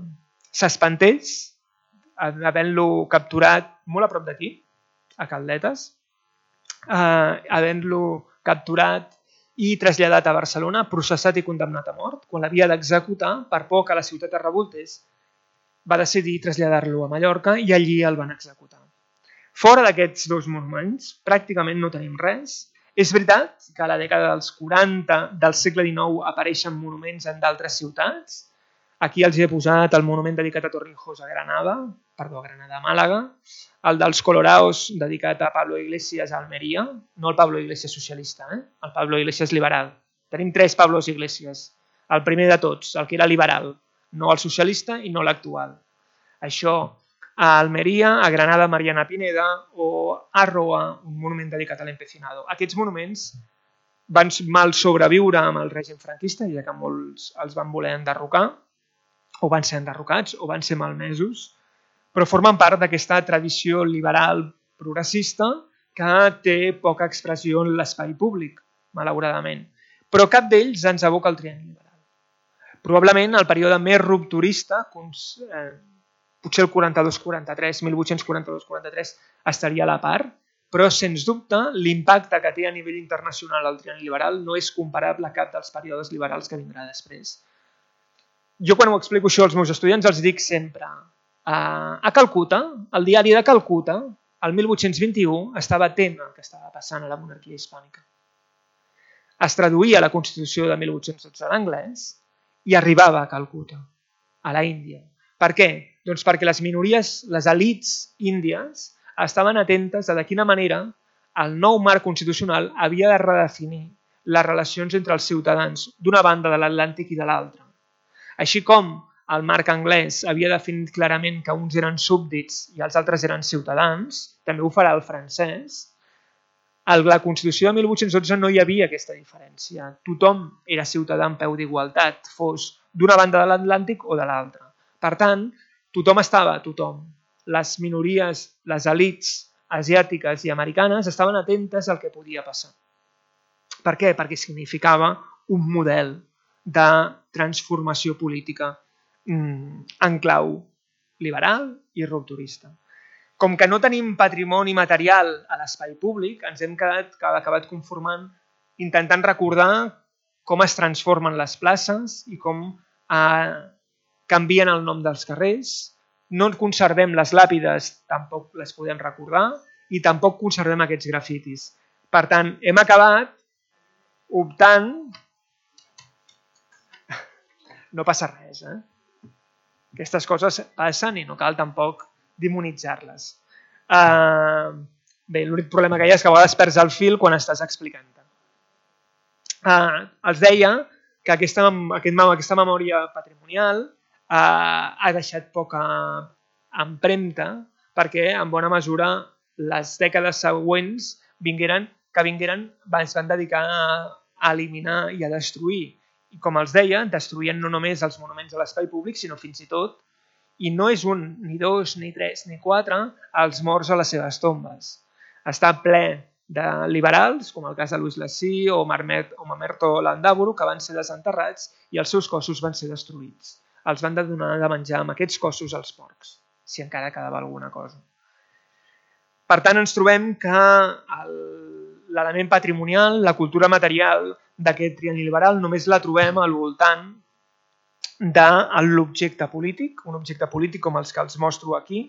s'espantés, havent-lo capturat molt a prop d'aquí, a Caldetes, eh, havent-lo capturat i traslladat a Barcelona, processat i condemnat a mort. Quan l'havia d'executar, per por que la ciutat es revoltés, va decidir traslladar-lo a Mallorca i allí el van executar. Fora d'aquests dos monuments, pràcticament no tenim res. És veritat que a la dècada dels quaranta del segle dinou apareixen monuments en d'altres ciutats. Aquí els he posat el monument dedicat a Torrijos a Granada, perdó, a Granada, a Màlaga, el dels Coloraos dedicat a Pablo Iglesias a Almeria, no el Pablo Iglesias socialista, eh? El Pablo Iglesias liberal. Tenim tres Pablos Iglesias. El primer de tots, el que era liberal, no el socialista i no l'actual. Això a Almeria, a Granada, Mariana Pineda, o a Roa, un monument dedicat a l'empecinado. Aquests monuments van mal sobreviure amb el règim franquista, ja que molts els van voler enderrocar, o van ser enderrocats, o van ser malmesos, però formen part d'aquesta tradició liberal progressista que té poca expressió en l'espai públic, malauradament. Però cap d'ells ens evoca el trienni liberal. Probablement el període més rupturista, eh, potser el quaranta-dos quaranta-tres, mil vuit-cents quaranta-dos quaranta-tres, estaria a la part, però sens dubte l'impacte que té a nivell internacional el trienni liberal no és comparable a cap dels períodes liberals que vindrà després. Jo quan ho explico això als meus estudiants els dic sempre a Calcuta, el diari de Calcuta, el mil vuit-cents vint-i-u, estava atent al que estava passant a la monarquia hispànica. Es traduïa la Constitució de mil vuit-cents dotze d'anglès i arribava a Calcuta, a la Índia. Per què? Doncs perquè les minories, les elits índies, estaven atentes a de quina manera el nou marc constitucional havia de redefinir les relacions entre els ciutadans d'una banda de l'Atlàntic i de l'altra. Així com el marc anglès havia definit clarament que uns eren súbdits i els altres eren ciutadans, també ho farà el francès. A la Constitució de mil vuit-cents dotze no hi havia aquesta diferència. Tothom era ciutadà en peu d'igualtat, fos d'una banda de l'Atlàntic o de l'altra. Per tant, tothom estava, tothom. Les minories, les elits asiàtiques i americanes estaven atentes al que podia passar. Per què? Perquè significava un model de transformació política en clau liberal i rupturista. Com que no tenim patrimoni material a l'espai públic, ens hem quedat, acabat conformant, intentant recordar com es transformen les places i com eh, canvien el nom dels carrers. No conservem les làpides, tampoc les podem recordar, i tampoc conservem aquests grafitis. Per tant, hem acabat optant... No passa res, eh? Aquestes coses passen i no cal tampoc demonitzar-les. Uh, bé, l'únic problema que hi ha és que a vegades perds el fil quan estàs explicant-te. Uh, els deia que aquesta, aquest, aquesta memòria patrimonial uh, ha deixat poca empremta perquè, en bona mesura, les dècades següents vingueren, que vingueren es van dedicar a, a eliminar i a destruir. I com els deia, destruïen no només els monuments de l'espai públic, sinó fins i tot, i no és un, ni dos, ni tres, ni quatre, els morts a les seves tombes. Està ple de liberals, com el cas de Louis Lacy o Mamerto Landaburu, que van ser desenterrats i els seus cossos van ser destruïts. Els van donar de menjar amb aquests cossos als porcs, si encara quedava alguna cosa. Per tant, ens trobem que l'element patrimonial, la cultura material d'aquest trienni liberal només la trobem al voltant de l'objecte polític, un objecte polític com els que els mostro aquí.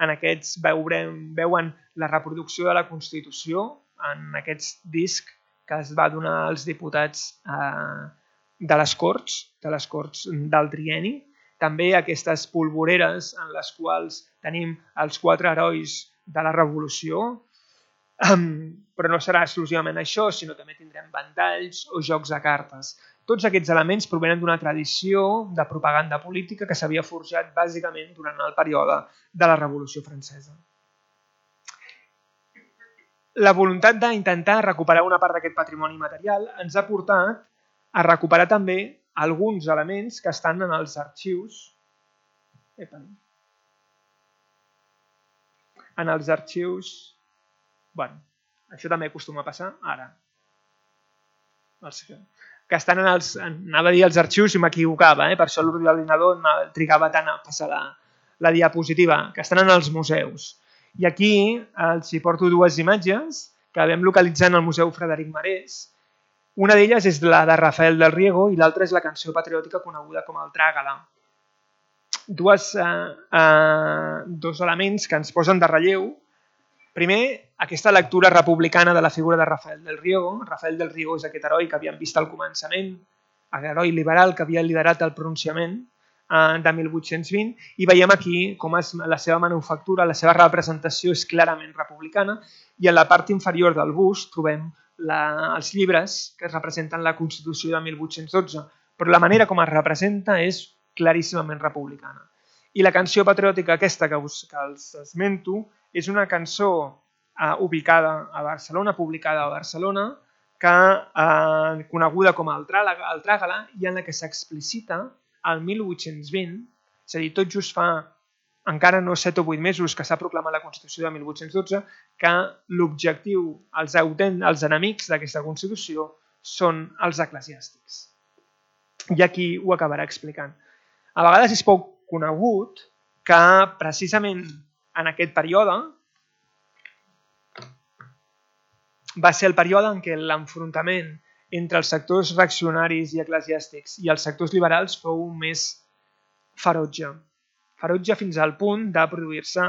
En aquests veurem, veuen la reproducció de la Constitució en aquest disc que es va donar als diputats eh, de les Corts, de les Corts del trienni. També aquestes polvoreres en les quals tenim els quatre herois de la Revolució, Um, però no serà exclusivament això, sinó també tindrem ventalls o jocs de cartes. Tots aquests elements provenen d'una tradició de propaganda política que s'havia forjat bàsicament durant el període de la Revolució Francesa. La voluntat d'intentar recuperar una part d'aquest patrimoni material ens ha portat a recuperar també alguns elements que estan en els arxius. Epa. En els arxius... Bueno, això també acostuma a passar ara. Els que, que estan en els... Anava a dir els arxius i m'equivocava, eh? Per això l'ordinador trigava tant a passar la, la diapositiva, que estan en els museus. I aquí els hi porto dues imatges que vam localitzar en el Museu Frederic Marès. Una d'elles és la de Rafael del Riego i l'altra és la cançó patriòtica coneguda com el Trágala. Dues, eh, eh, dos elements que ens posen de relleu. Primer, aquesta lectura republicana de la figura de Rafael del Riego. Rafael del Riego és aquest heroi que havíem vist al començament, heroi liberal que havia liderat el pronunciament eh, de mil vuit-cents vint, i veiem aquí com és la seva manufactura, la seva representació és clarament republicana, i a la part inferior del bust trobem la, els llibres que representen la Constitució de mil vuit-cents dotze, però la manera com es representa és claríssimament republicana. I la canció patriòtica aquesta que, us, que els esmento és una cançó eh, ubicada a Barcelona, publicada a Barcelona, que eh, coneguda com el Trágala, i en la que s'explicita el mil vuit-cents vint, és a dir, tot just fa encara no set o vuit mesos que s'ha proclamat la Constitució de mil vuit-cents dotze, que l'objectiu, els, els enemics d'aquesta Constitució són els eclesiàstics. I aquí ho acabarà explicant. A vegades és poc conegut que precisament en aquest període va ser el període en què l'enfrontament entre els sectors reaccionaris i eclesiàstics i els sectors liberals fou més ferotge. Ferotge fins al punt de produir-se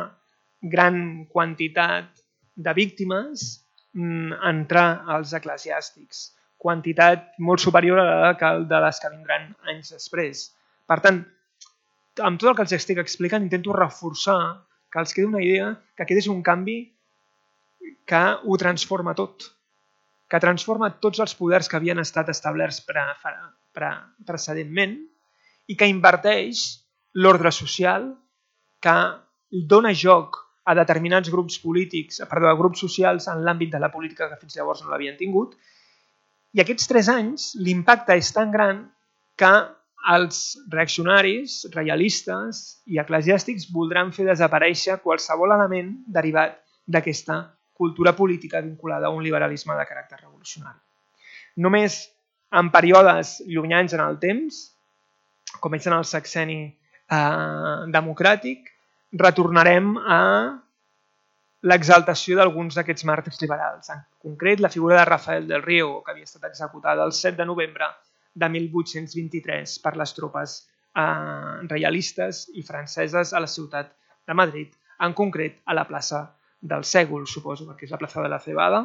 gran quantitat de víctimes entre els eclesiàstics, quantitat molt superior a la de les que vindran anys després. Per tant, amb tot el que els estic explicant, intento reforçar que els quedi una idea que aquest és un canvi que ho transforma tot, que transforma tots els poders que havien estat establerts pre, pre, precedentment i que inverteix l'ordre social, que dona joc a determinats grups polítics, perdó, a grups socials en l'àmbit de la política que fins llavors no l'havien tingut. I aquests tres anys l'impacte és tan gran que els reaccionaris, reialistes i eclesiàstics voldran fer desaparèixer qualsevol element derivat d'aquesta cultura política vinculada a un liberalisme de caràcter revolucionari. Només en períodes llunyans en el temps, com és en el sexenni eh, democràtic, retornarem a l'exaltació d'alguns d'aquests màrtirs liberals. En concret, la figura de Rafael del Riego, que havia estat executada el set de novembre de mil vuit-cents vint-i-tres per les tropes eh, reialistes i franceses a la ciutat de Madrid, en concret a la plaça del Sègol, suposo, perquè és la plaça de la Cebada,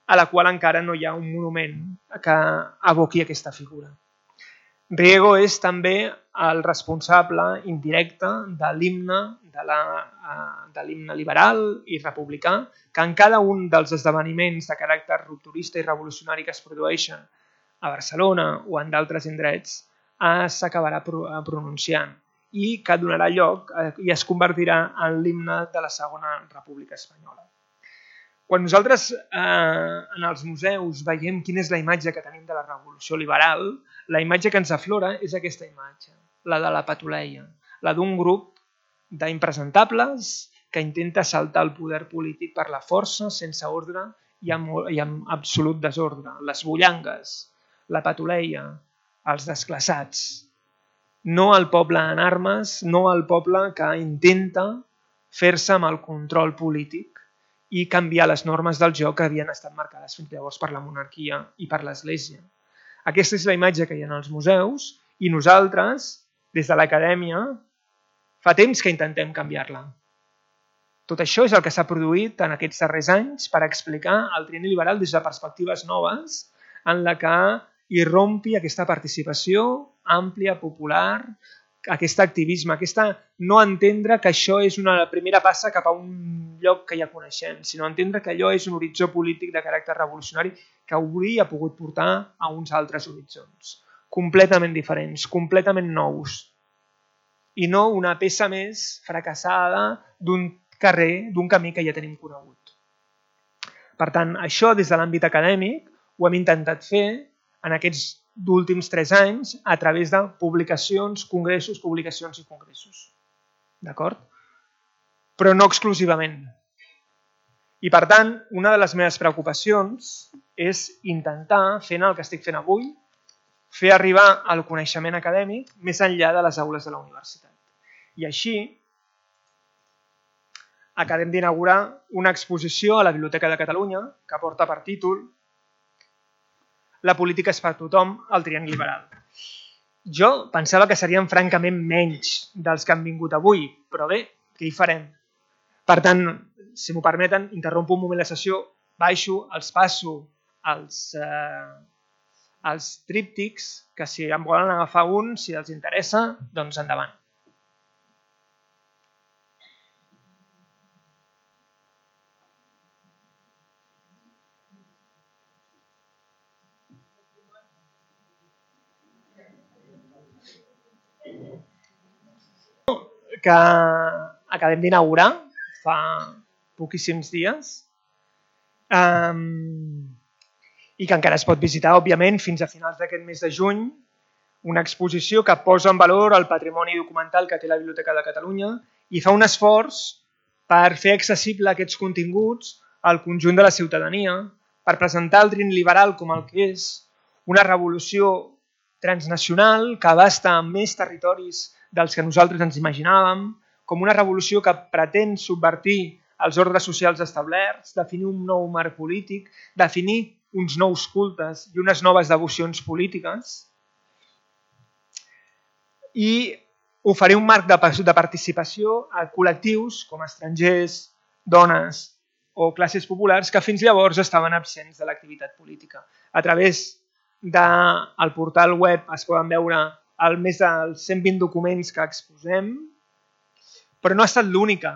a la qual encara no hi ha un monument que evoqui aquesta figura. Riego és també el responsable indirecte de l'himne de la, de l'himne liberal i republicà, que en cada un dels esdeveniments de caràcter rupturista i revolucionari que es produeixen a Barcelona o en d'altres indrets s'acabarà pronunciant i que donarà lloc i es convertirà en l'himne de la Segona República Espanyola. Quan nosaltres eh, en els museus veiem quina és la imatge que tenim de la revolució liberal, la imatge que ens aflora és aquesta imatge, la de la patuleia, la d'un grup d'impresentables que intenta saltar el poder polític per la força, sense ordre i amb, i amb absolut desordre. Les bullangues, la patuleia, els desclassats. No el poble en armes, no el poble que intenta fer-se amb el control polític i canviar les normes del joc que havien estat marcades fins llavors per la monarquia i per l'Església. Aquesta és la imatge que hi ha als museus i nosaltres, des de l'acadèmia, fa temps que intentem canviar-la. Tot això és el que s'ha produït en aquests darrers anys per explicar el trienni liberal des de perspectives noves en la que irrompi aquesta participació àmplia, popular, aquest activisme, aquesta no entendre que això és una primera passa cap a un lloc que ja coneixem, sinó entendre que allò és un horitzó polític de caràcter revolucionari que hauria pogut portar a uns altres horitzons, completament diferents, completament nous, i no una peça més fracassada d'un carrer, d'un camí que ja tenim conegut. Per tant, això des de l'àmbit acadèmic ho hem intentat fer en aquests últims tres anys a través de publicacions, congressos, publicacions i congressos. D'acord? Però no exclusivament. I per tant, una de les meves preocupacions és intentar, fent el que estic fent avui, fer arribar el coneixement acadèmic més enllà de les aules de la universitat. I així, acabem d'inaugurar una exposició a la Biblioteca de Catalunya que porta per títol La política és per tothom, el trienni liberal. Jo pensava que serien francament menys dels que han vingut avui, però bé, què hi farem? Per tant, si m'ho permeten, interrompo un moment la sessió, baixo, els passo els, eh, els tríptics, que si en volen agafar un, si els interessa, doncs endavant. Que acabem d'inaugurar fa poquíssims dies um, i que encara es pot visitar, òbviament, fins a finals d'aquest mes de juny, una exposició que posa en valor el patrimoni documental que té la Biblioteca de Catalunya i fa un esforç per fer accessible aquests continguts al conjunt de la ciutadania, per presentar el trienni liberal com el que és una revolució transnacional que abasta més territoris dels que nosaltres ens imaginàvem, com una revolució que pretén subvertir els ordres socials establerts, definir un nou marc polític, definir uns nous cultes i unes noves devocions polítiques i oferir un marc de participació a col·lectius com estrangers, dones o classes populars que fins llavors estaven absents de l'activitat política. A través del portal web es poden veure el més dels cent vint documents que exposem, però no ha estat l'única.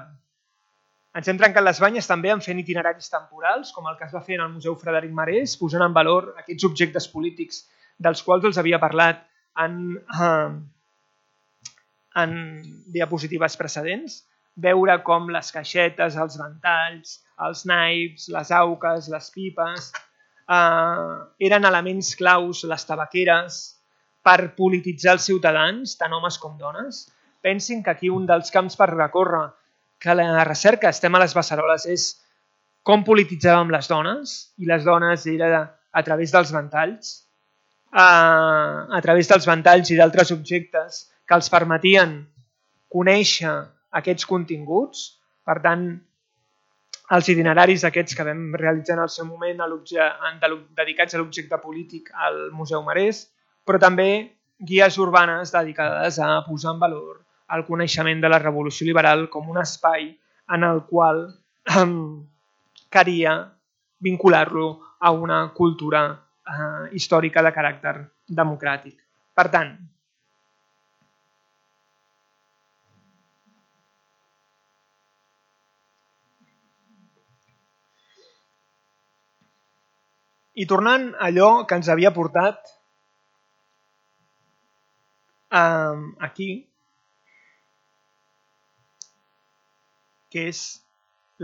Ens hem trencat les banyes també en fent itineraris temporals, com el que es va fer en el Museu Frederic Marès, posant en valor aquests objectes polítics dels quals els havia parlat en, eh, en diapositives precedents, veure com les caixetes, els ventalls, els naips, les auques, les pipes, eh, eren elements claus, les tabaqueres, per polititzar els ciutadans, tant homes com dones. Pensin que aquí un dels camps per recórrer, que la recerca estem a les beceroles, és com polititzàvem les dones, i les dones era a través dels ventalls, a través dels ventalls i d'altres objectes que els permetien conèixer aquests continguts. Per tant, els itineraris aquests que vam realitzar en el seu moment dedicats a l'objecte polític al Museu Marès, però també guies urbanes dedicades a posar en valor el coneixement de la Revolució Liberal com un espai en el qual eh, calia vincular-lo a una cultura eh, històrica de caràcter democràtic. Per tant, i tornant a allò que ens havia portat Um, aquí, que és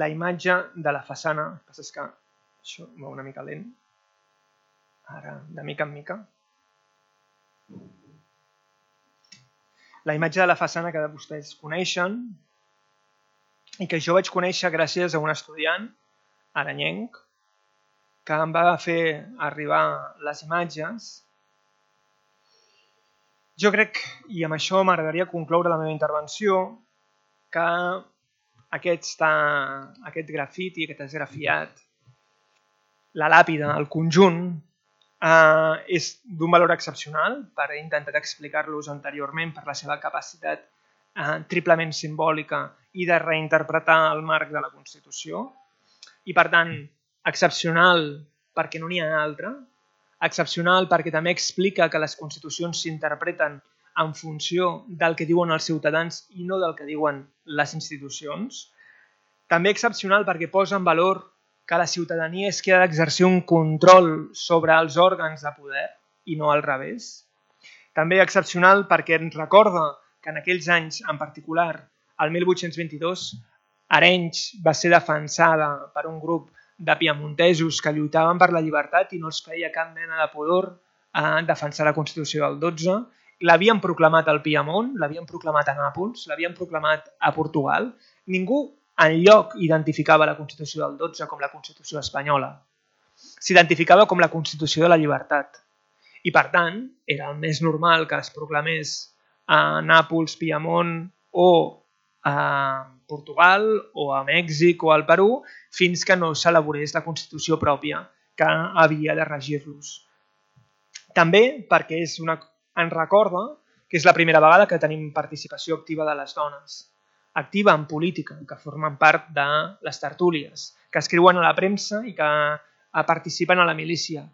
la imatge de la façana. El que passa és que això va una mica lent. Ara, de mica en mica. La imatge de la façana que vostès coneixen i que jo vaig conèixer gràcies a un estudiant aranyenc que em va fer arribar les imatges. Jo crec, i amb això m'agradaria concloure la meva intervenció, que aquest, aquest grafiti, aquest esgrafiat, la làpida, el conjunt, eh, és d'un valor excepcional, per he intentat explicar-los anteriorment per la seva capacitat eh, triplement simbòlica i de reinterpretar el marc de la Constitució. I per tant, excepcional perquè no n'hi ha altra, excepcional perquè també explica que les constitucions s'interpreten en funció del que diuen els ciutadans i no del que diuen les institucions. També excepcional perquè posa en valor que la ciutadania és qui ha d'exercir un control sobre els òrgans de poder i no al revés. També excepcional perquè ens recorda que en aquells anys, en particular, el mil vuit-cents vint-i-dos, Arenys va ser defensada per un grup de piemontesos que lluitaven per la llibertat i no els feia cap mena de pudor a defensar la Constitució del dotze. L'havien proclamat al Piemont, l'havien proclamat a Nàpols, l'havien proclamat a Portugal. Ningú enlloc identificava la Constitució del dotze com la Constitució espanyola. S'identificava com la Constitució de la llibertat. I per tant, era el més normal que es proclamés a Nàpols, Piemont o a Portugal o a Mèxic o al Perú fins que no s'elaborés la Constitució pròpia que havia de regir-los. També perquè és una, ens recorda que és la primera vegada que tenim participació activa de les dones, activa en política, que formen part de les tertúlies, que escriuen a la premsa i que participen a la milícia.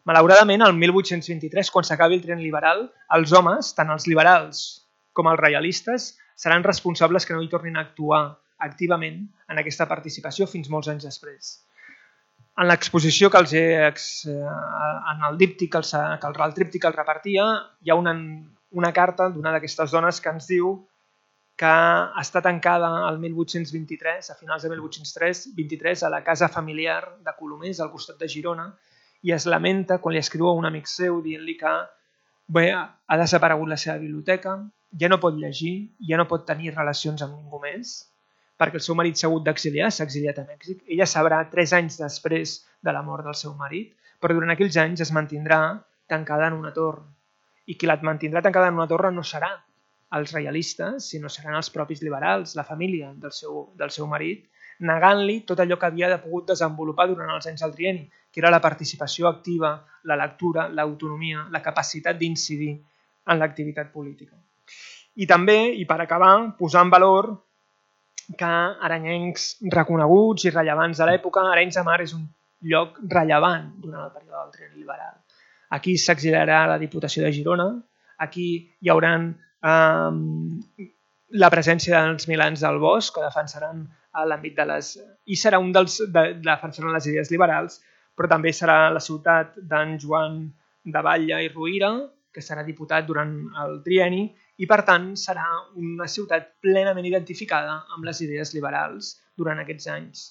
Malauradament, el mil vuit-cents vint-i-tres, quan s'acabi el trienni liberal, els homes, tant els liberals com els reialistes, seran responsables que no hi tornin a actuar activament en aquesta participació fins molts anys després. En l'exposició que els he, en el díptic que el tríptic els repartia, hi ha una, una carta d'una d'aquestes dones que ens diu que està tancada el mil vuit-cents vint-i-tres, a finals de mil vuit-cents vint-i-tres, a la casa familiar de Colomers, al costat de Girona, i es lamenta quan li escriu a un amic seu dient-li que bé, ha desaparegut la seva biblioteca, ja no pot llegir, ja no pot tenir relacions amb ningú més, perquè el seu marit s'ha hagut d'exiliar, s'ha exiliat a Mèxic. Ella sabrà tres anys després de la mort del seu marit, però durant aquells anys es mantindrà tancada en una torre. I qui la mantindrà tancada en una torre no serà els reialistes, sinó seran els propis liberals, la família del seu, del seu marit, negant-li tot allò que havia pogut desenvolupar durant els anys del trienni, que era la participació activa, la lectura, l'autonomia, la capacitat d'incidir en l'activitat política. I també, i per acabar, posar en valor que aranyencs reconeguts i rellevants de l'època, Arenys de Mar és un lloc rellevant durant el període del trienni liberal. Aquí s'exiliarà la Diputació de Girona, aquí hi haurà eh, la presència dels milans del Bosc, que defensaran l'àmbit de les... i serà un dels... De, defensaran les idees liberals, però també serà la ciutat d'en Joan de Batlle i Rovira, que serà diputat durant el trienni, i per tant serà una ciutat plenament identificada amb les idees liberals durant aquests anys.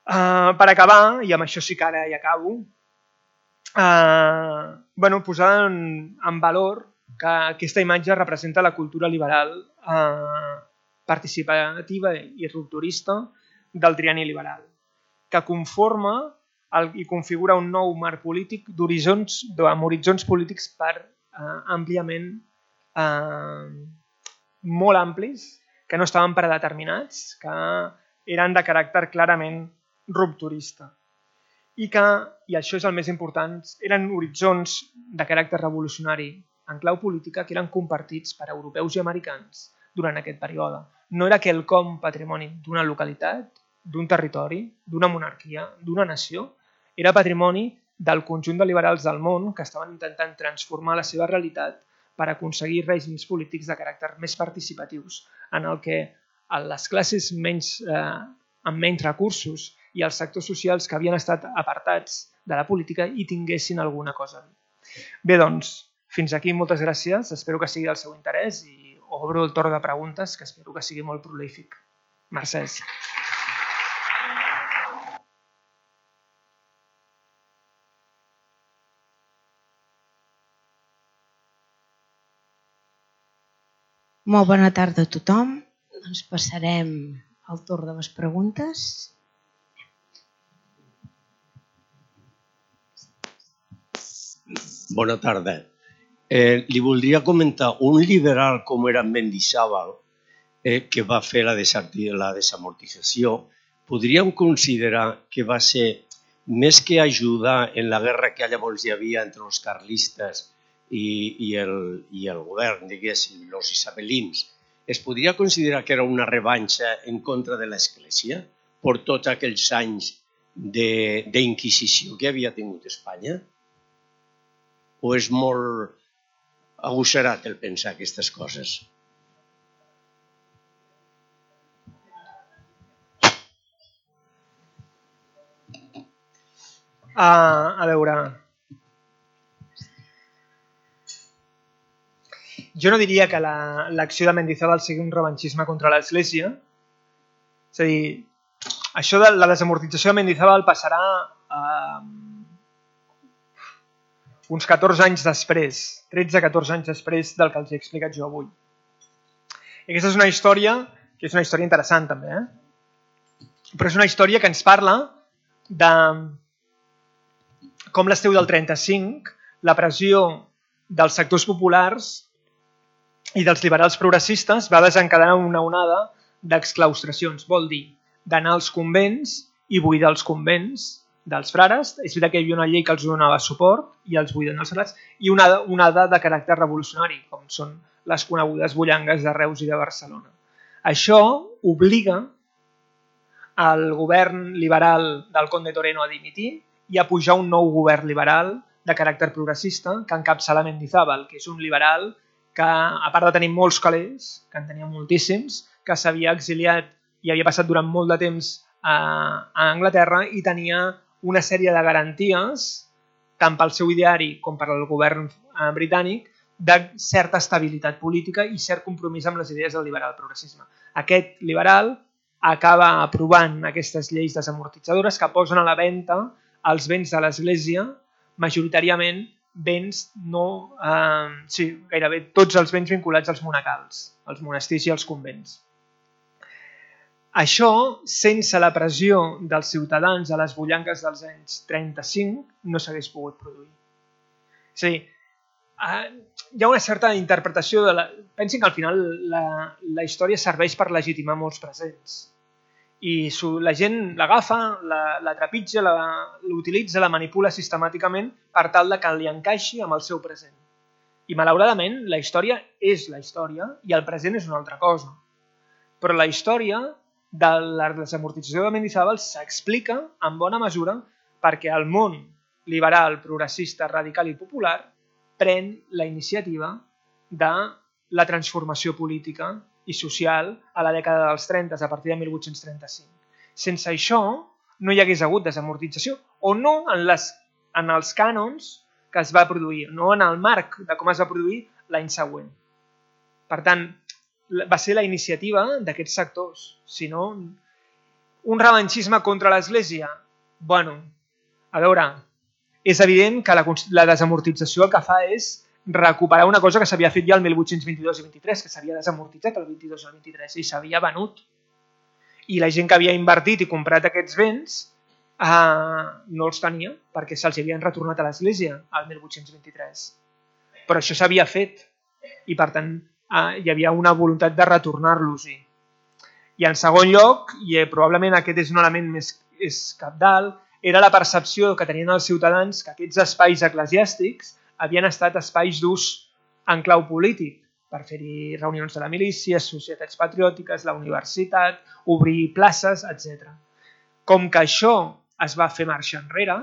Uh, per acabar, i amb això sí que ara ja acabo, uh, bueno, posar en, en valor que aquesta imatge representa la cultura liberal uh, participativa i rupturista del trienni liberal, que conforma el, i configura un nou marc polític d'horitzons, amb horitzons polítics per eh, àmpliament eh, molt amplis, que no estaven predeterminats, que eren de caràcter clarament rupturista. I que, i això és el més important, eren horitzons de caràcter revolucionari en clau política que eren compartits per europeus i americans durant aquest període. No era quelcom patrimoni d'una localitat, d'un territori, d'una monarquia, d'una nació, era patrimoni del conjunt de liberals del món que estaven intentant transformar la seva realitat per aconseguir règims polítics de caràcter més participatius, en el que les classes menys, eh, amb menys recursos i els sectors socials que havien estat apartats de la política hi tinguessin alguna cosa a dir. Bé, doncs, fins aquí, moltes gràcies. Espero que sigui del seu interès i obro el torn de preguntes, que espero que sigui molt prolífic. Mercès. Molt bona tarda a tothom. Doncs passarem al torn de les preguntes. Bona tarda. Eh, li voldria comentar, un liberal com era Mendizábal, eh, que va fer la, la desamortització, podríem considerar que va ser, més que ajudar en la guerra que llavors hi havia entre els carlistes i, i, el, i el govern, diguéssim, els isabelins, es podria considerar que era una revanxa en contra de l'Església per tots aquells anys d'inquisició que havia tingut Espanya? O és molt agosserat el pensar aquestes coses? Uh, a veure... Jo no diria que l'acció la, de Mendizábal sigui un revanchisme contra l'Església. És a dir, això de la desamortització de Mendizábal passarà uh, uns catorze anys després, tretze a catorze anys després del que els he explicat jo avui. I aquesta és una història, que és una història interessant també, eh? Però és una història que ens parla de com l'estiu del trenta-cinc, la pressió dels sectors populars i dels liberals progressistes va desencadenar una onada d'exclaustracions. Vol dir, d'anar als convents i buidar els convents dels frares. És veritat que hi havia una llei que els donava suport i els buiden els frats, i una onada de caràcter revolucionari, com són les conegudes bullangues de Reus i de Barcelona. Això obliga al govern liberal del Conde Toreno a dimitir i a pujar un nou govern liberal de caràcter progressista que encapçala Mendizábal, que és un liberal que, a part de tenir molts calés, que en tenia moltíssims, que s'havia exiliat i havia passat durant molt de temps a, a Anglaterra i tenia una sèrie de garanties, tant pel seu ideari com per al govern eh, britànic, de certa estabilitat política i cert compromís amb les idees del liberal progressisme. Aquest liberal acaba aprovant aquestes lleis desamortitzadores que posen a la venda els béns de l'Església, majoritàriament béns no... Eh, sí, gairebé tots els béns vinculats als monacals, als monestirs i als convents. Això, sense la pressió dels ciutadans a les bullanques dels anys trenta-cinc, no s'hagués pogut produir. És a dir, eh, hi ha una certa interpretació de la... Pensin que al final la, la història serveix per legitimar molts presents. I la gent l'agafa, la, la trepitja, l'utilitza, la manipula sistemàticament per tal de que li encaixi amb el seu present. I malauradament la història és la història i el present és una altra cosa. Però la història de la desamortització de Mendizábal s'explica en bona mesura perquè el món liberal, progressista, radical i popular pren la iniciativa de la transformació política i social a la dècada dels trenta, a partir de mil vuit-cents trenta-cinc. Sense això no hi hagués hagut desamortització, o no en, les, en els cànons que es va produir, no en el marc de com es va produir l'any següent. Per tant, va ser la iniciativa d'aquests sectors, sinó un revanchisme contra l'Església. Bueno, a veure, és evident que la, la desamortització el que fa és recuperar una cosa que s'havia fet ja el mil vuit-cents vint-i-dos i vint-i-tres, que s'havia desamortitzat el vint-i-dos i el vint-i-tres i s'havia venut. I la gent que havia invertit i comprat aquests béns eh, no els tenia perquè se'ls havien retornat a l'Església el mil vuit-cents vint-i-tres. Però això s'havia fet i per tant eh, hi havia una voluntat de retornar-los-hi. I en segon lloc, i probablement aquest és un element més és cabdal, era la percepció que tenien els ciutadans que aquests espais eclesiàstics havien estat espais d'ús en clau polític, per fer-hi reunions de la milícia, societats patriòtiques, la universitat, obrir places, etcètera. Com que això es va fer marxa enrere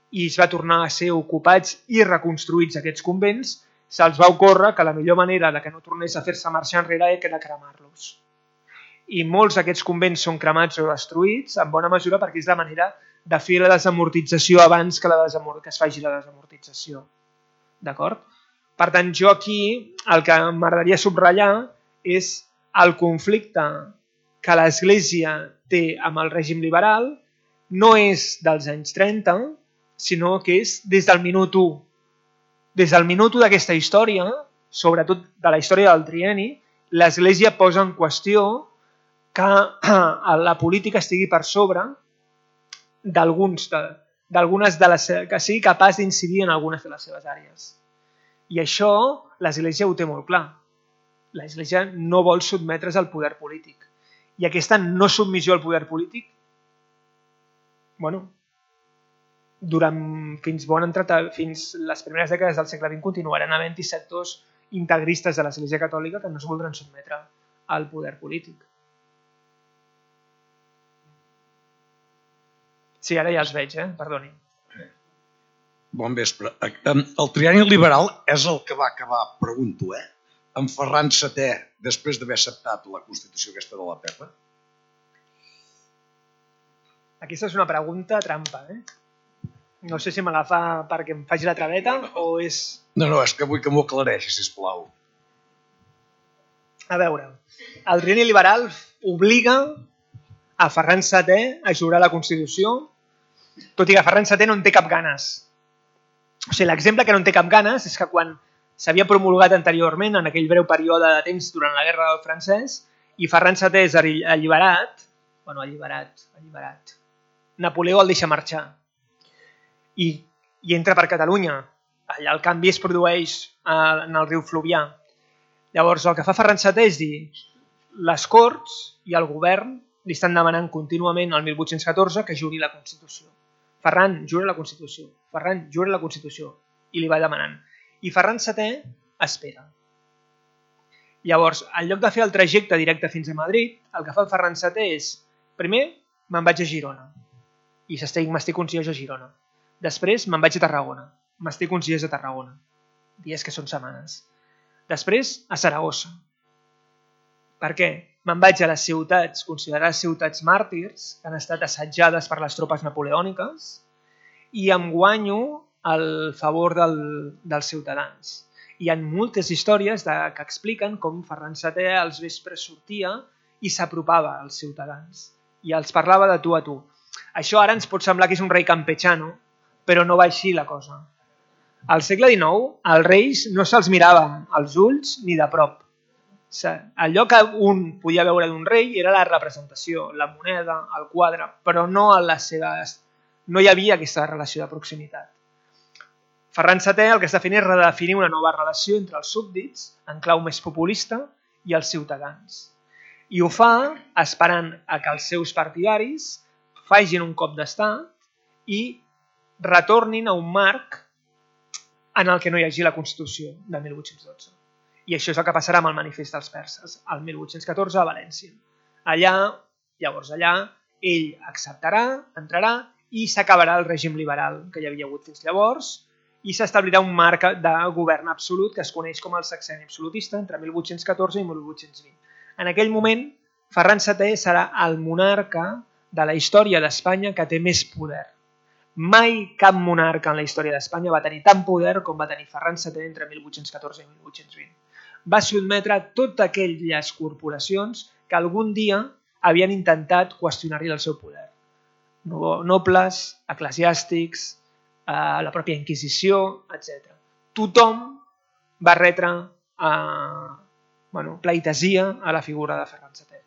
i es va tornar a ser ocupats i reconstruïts aquests convents, se'ls va ocórrer que la millor manera de que no tornés a fer-se marxa enrere era cremar-los. I molts d'aquests convents són cremats o destruïts, en bona mesura perquè és la manera de fer la desamortització abans que, la desamort que es faci la desamortització. D'acord? Per tant, jo aquí el que m'agradaria subratllar és el conflicte que l'Església té amb el règim liberal, no és dels anys trenta, sinó que és des del minut u. Des del minut u d'aquesta història, sobretot de la història del trienni, l'Església posa en qüestió que la política estigui per sobre d'alguns de, d'algunes de les que sigui capaç d'incidir en algunes de les seves àrees. I això l'Església ho té molt clar. L'Església no vol sotmetre's al poder polític. I aquesta no submissió al poder polític, bueno, durant fins, bon entrat, fins les primeres dècades del segle vint continuaran havent-hi sectors integristes de l'Església Catòlica que no es voldran sotmetre al poder polític. Sí, ara ja els veig, eh? Perdoni. Bon vespre. El trienni liberal és el que va acabar, pregunto, eh? amb Ferran setè, després d'haver acceptat la Constitució aquesta de la Pepa? Aquesta és una pregunta trampa, eh? No sé si me la fa perquè em faci la traveta o és... No, no, és que vull que m'ho aclareixi, sisplau. A veure, el trienni liberal obliga a Ferran setè a jurar la Constitució, tot i que Ferran setè no en té cap ganes. O sigui, l'exemple que no en té cap ganes és que quan s'havia promulgat anteriorment, en aquell breu període de temps durant la Guerra del Francès, i Ferran setè és alliberat, bueno, alliberat, alliberat, Napoleó el deixa marxar i, i entra per Catalunya. Allà el canvi es produeix en el riu Fluvià. Llavors, el que fa Ferran setè és dir les Corts i el govern li estan demanant contínuament el mil vuit-cents catorze que juri la Constitució. Ferran, jura la Constitució. Ferran, jura la Constitució. I li va demanant. I Ferran setè espera. Llavors, en lloc de fer el trajecte directe fins a Madrid, el que fa el Ferran setè és, primer, me'n vaig a Girona. I m'estic uns dies a Girona. Després, me'n vaig a Tarragona. M'estic uns dies a Tarragona. Dies que són setmanes. Després, a Saragossa. Per què? Me'n vaig a les ciutats, considerades ciutats màrtirs, que han estat assetjades per les tropes napoleòniques, i em guanyo el favor del, dels ciutadans. Hi ha moltes històries de, que expliquen com Ferran setè als vespres sortia i s'apropava als ciutadans i els parlava de tu a tu. Això ara ens pot semblar que és un rei campechano, però no va així la cosa. Al segle dinou, els reis no se'ls mirava als ulls ni de prop. Allò que un podia veure d'un rei era la representació, la moneda, el quadre, però no, a les seves... no hi havia aquesta relació de proximitat. Ferran setè el que està fent és redefinir una nova relació entre els súbdits, en clau més populista, i els ciutadans. I ho fa esperant a que els seus partidaris facin un cop d'estat i retornin a un marc en el que no hi hagi la Constitució de mil vuit-cents dotze. I això és el que passarà amb el manifest dels perses, el mil vuit-cents catorze a València. Allà, llavors allà, ell acceptarà, entrarà i s'acabarà el règim liberal que hi havia hagut fins llavors i s'establirà un marc de govern absolut que es coneix com el sexenni absolutista entre mil vuit-cents catorze i mil vuit-cents vint. En aquell moment, Ferran setè serà el monarca de la història d'Espanya que té més poder. Mai cap monarca en la història d'Espanya va tenir tant poder com va tenir Ferran setè entre mil vuit-cents catorze i mil vuit-cents vint. Va sotmetre totes aquelles corporacions que algun dia havien intentat qüestionar-li el seu poder. Nobles, eclesiàstics, la pròpia Inquisició, etcètera. Tothom va retre bueno, pleitesia a la figura de Ferran setè.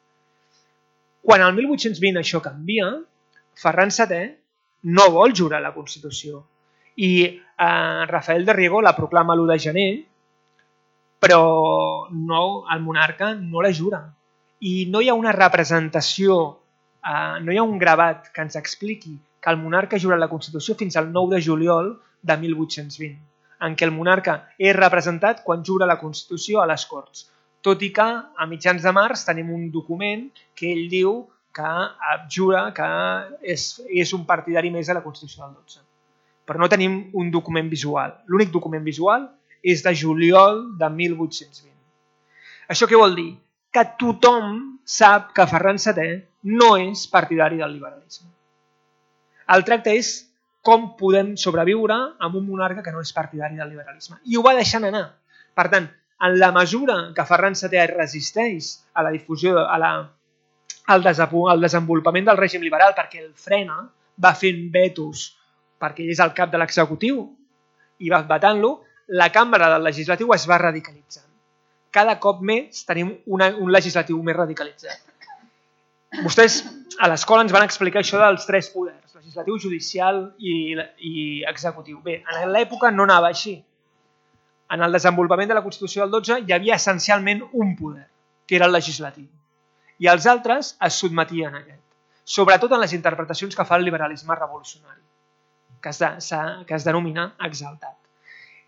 Quan el mil vuit-cents vint això canvia, Ferran setè no vol jurar la Constitució i eh, Rafael de Riego la proclama l'u de gener, però no, el monarca no la jura. I no hi ha una representació, eh, no hi ha un gravat que ens expliqui que el monarca jura la Constitució fins al nou de juliol de mil vuit-cents vint, en què el monarca és representat quan jura la Constitució a les Corts. Tot i que a mitjans de març tenim un document que ell diu que jura que és, és un partidari més de la Constitució del dotze. Però no tenim un document visual. L'únic document visual és de juliol de mil vuit-cents vint. Això què vol dir? Que tothom sap que Ferran setè no és partidari del liberalisme. El tracte és com podem sobreviure amb un monarca que no és partidari del liberalisme. I ho va deixant anar. Per tant, en la mesura que Ferran setè resisteix a la difusió, a la, al, al desenvolupament del règim liberal perquè el frena, va fent vetos perquè ell és el cap de l'executiu i va vetant-lo, la cambra del legislatiu es va radicalitzant. Cada cop més tenim una, un legislatiu més radicalitzat. Vostès a l'escola ens van explicar això dels tres poders, legislatiu, judicial i, i executiu. Bé, en l'època no anava així. En el desenvolupament de la Constitució del dotze hi havia essencialment un poder, que era el legislatiu. I els altres es sotmetien a aquest, sobretot en les interpretacions que fa el liberalisme revolucionari, que es, de, que es denomina exaltat.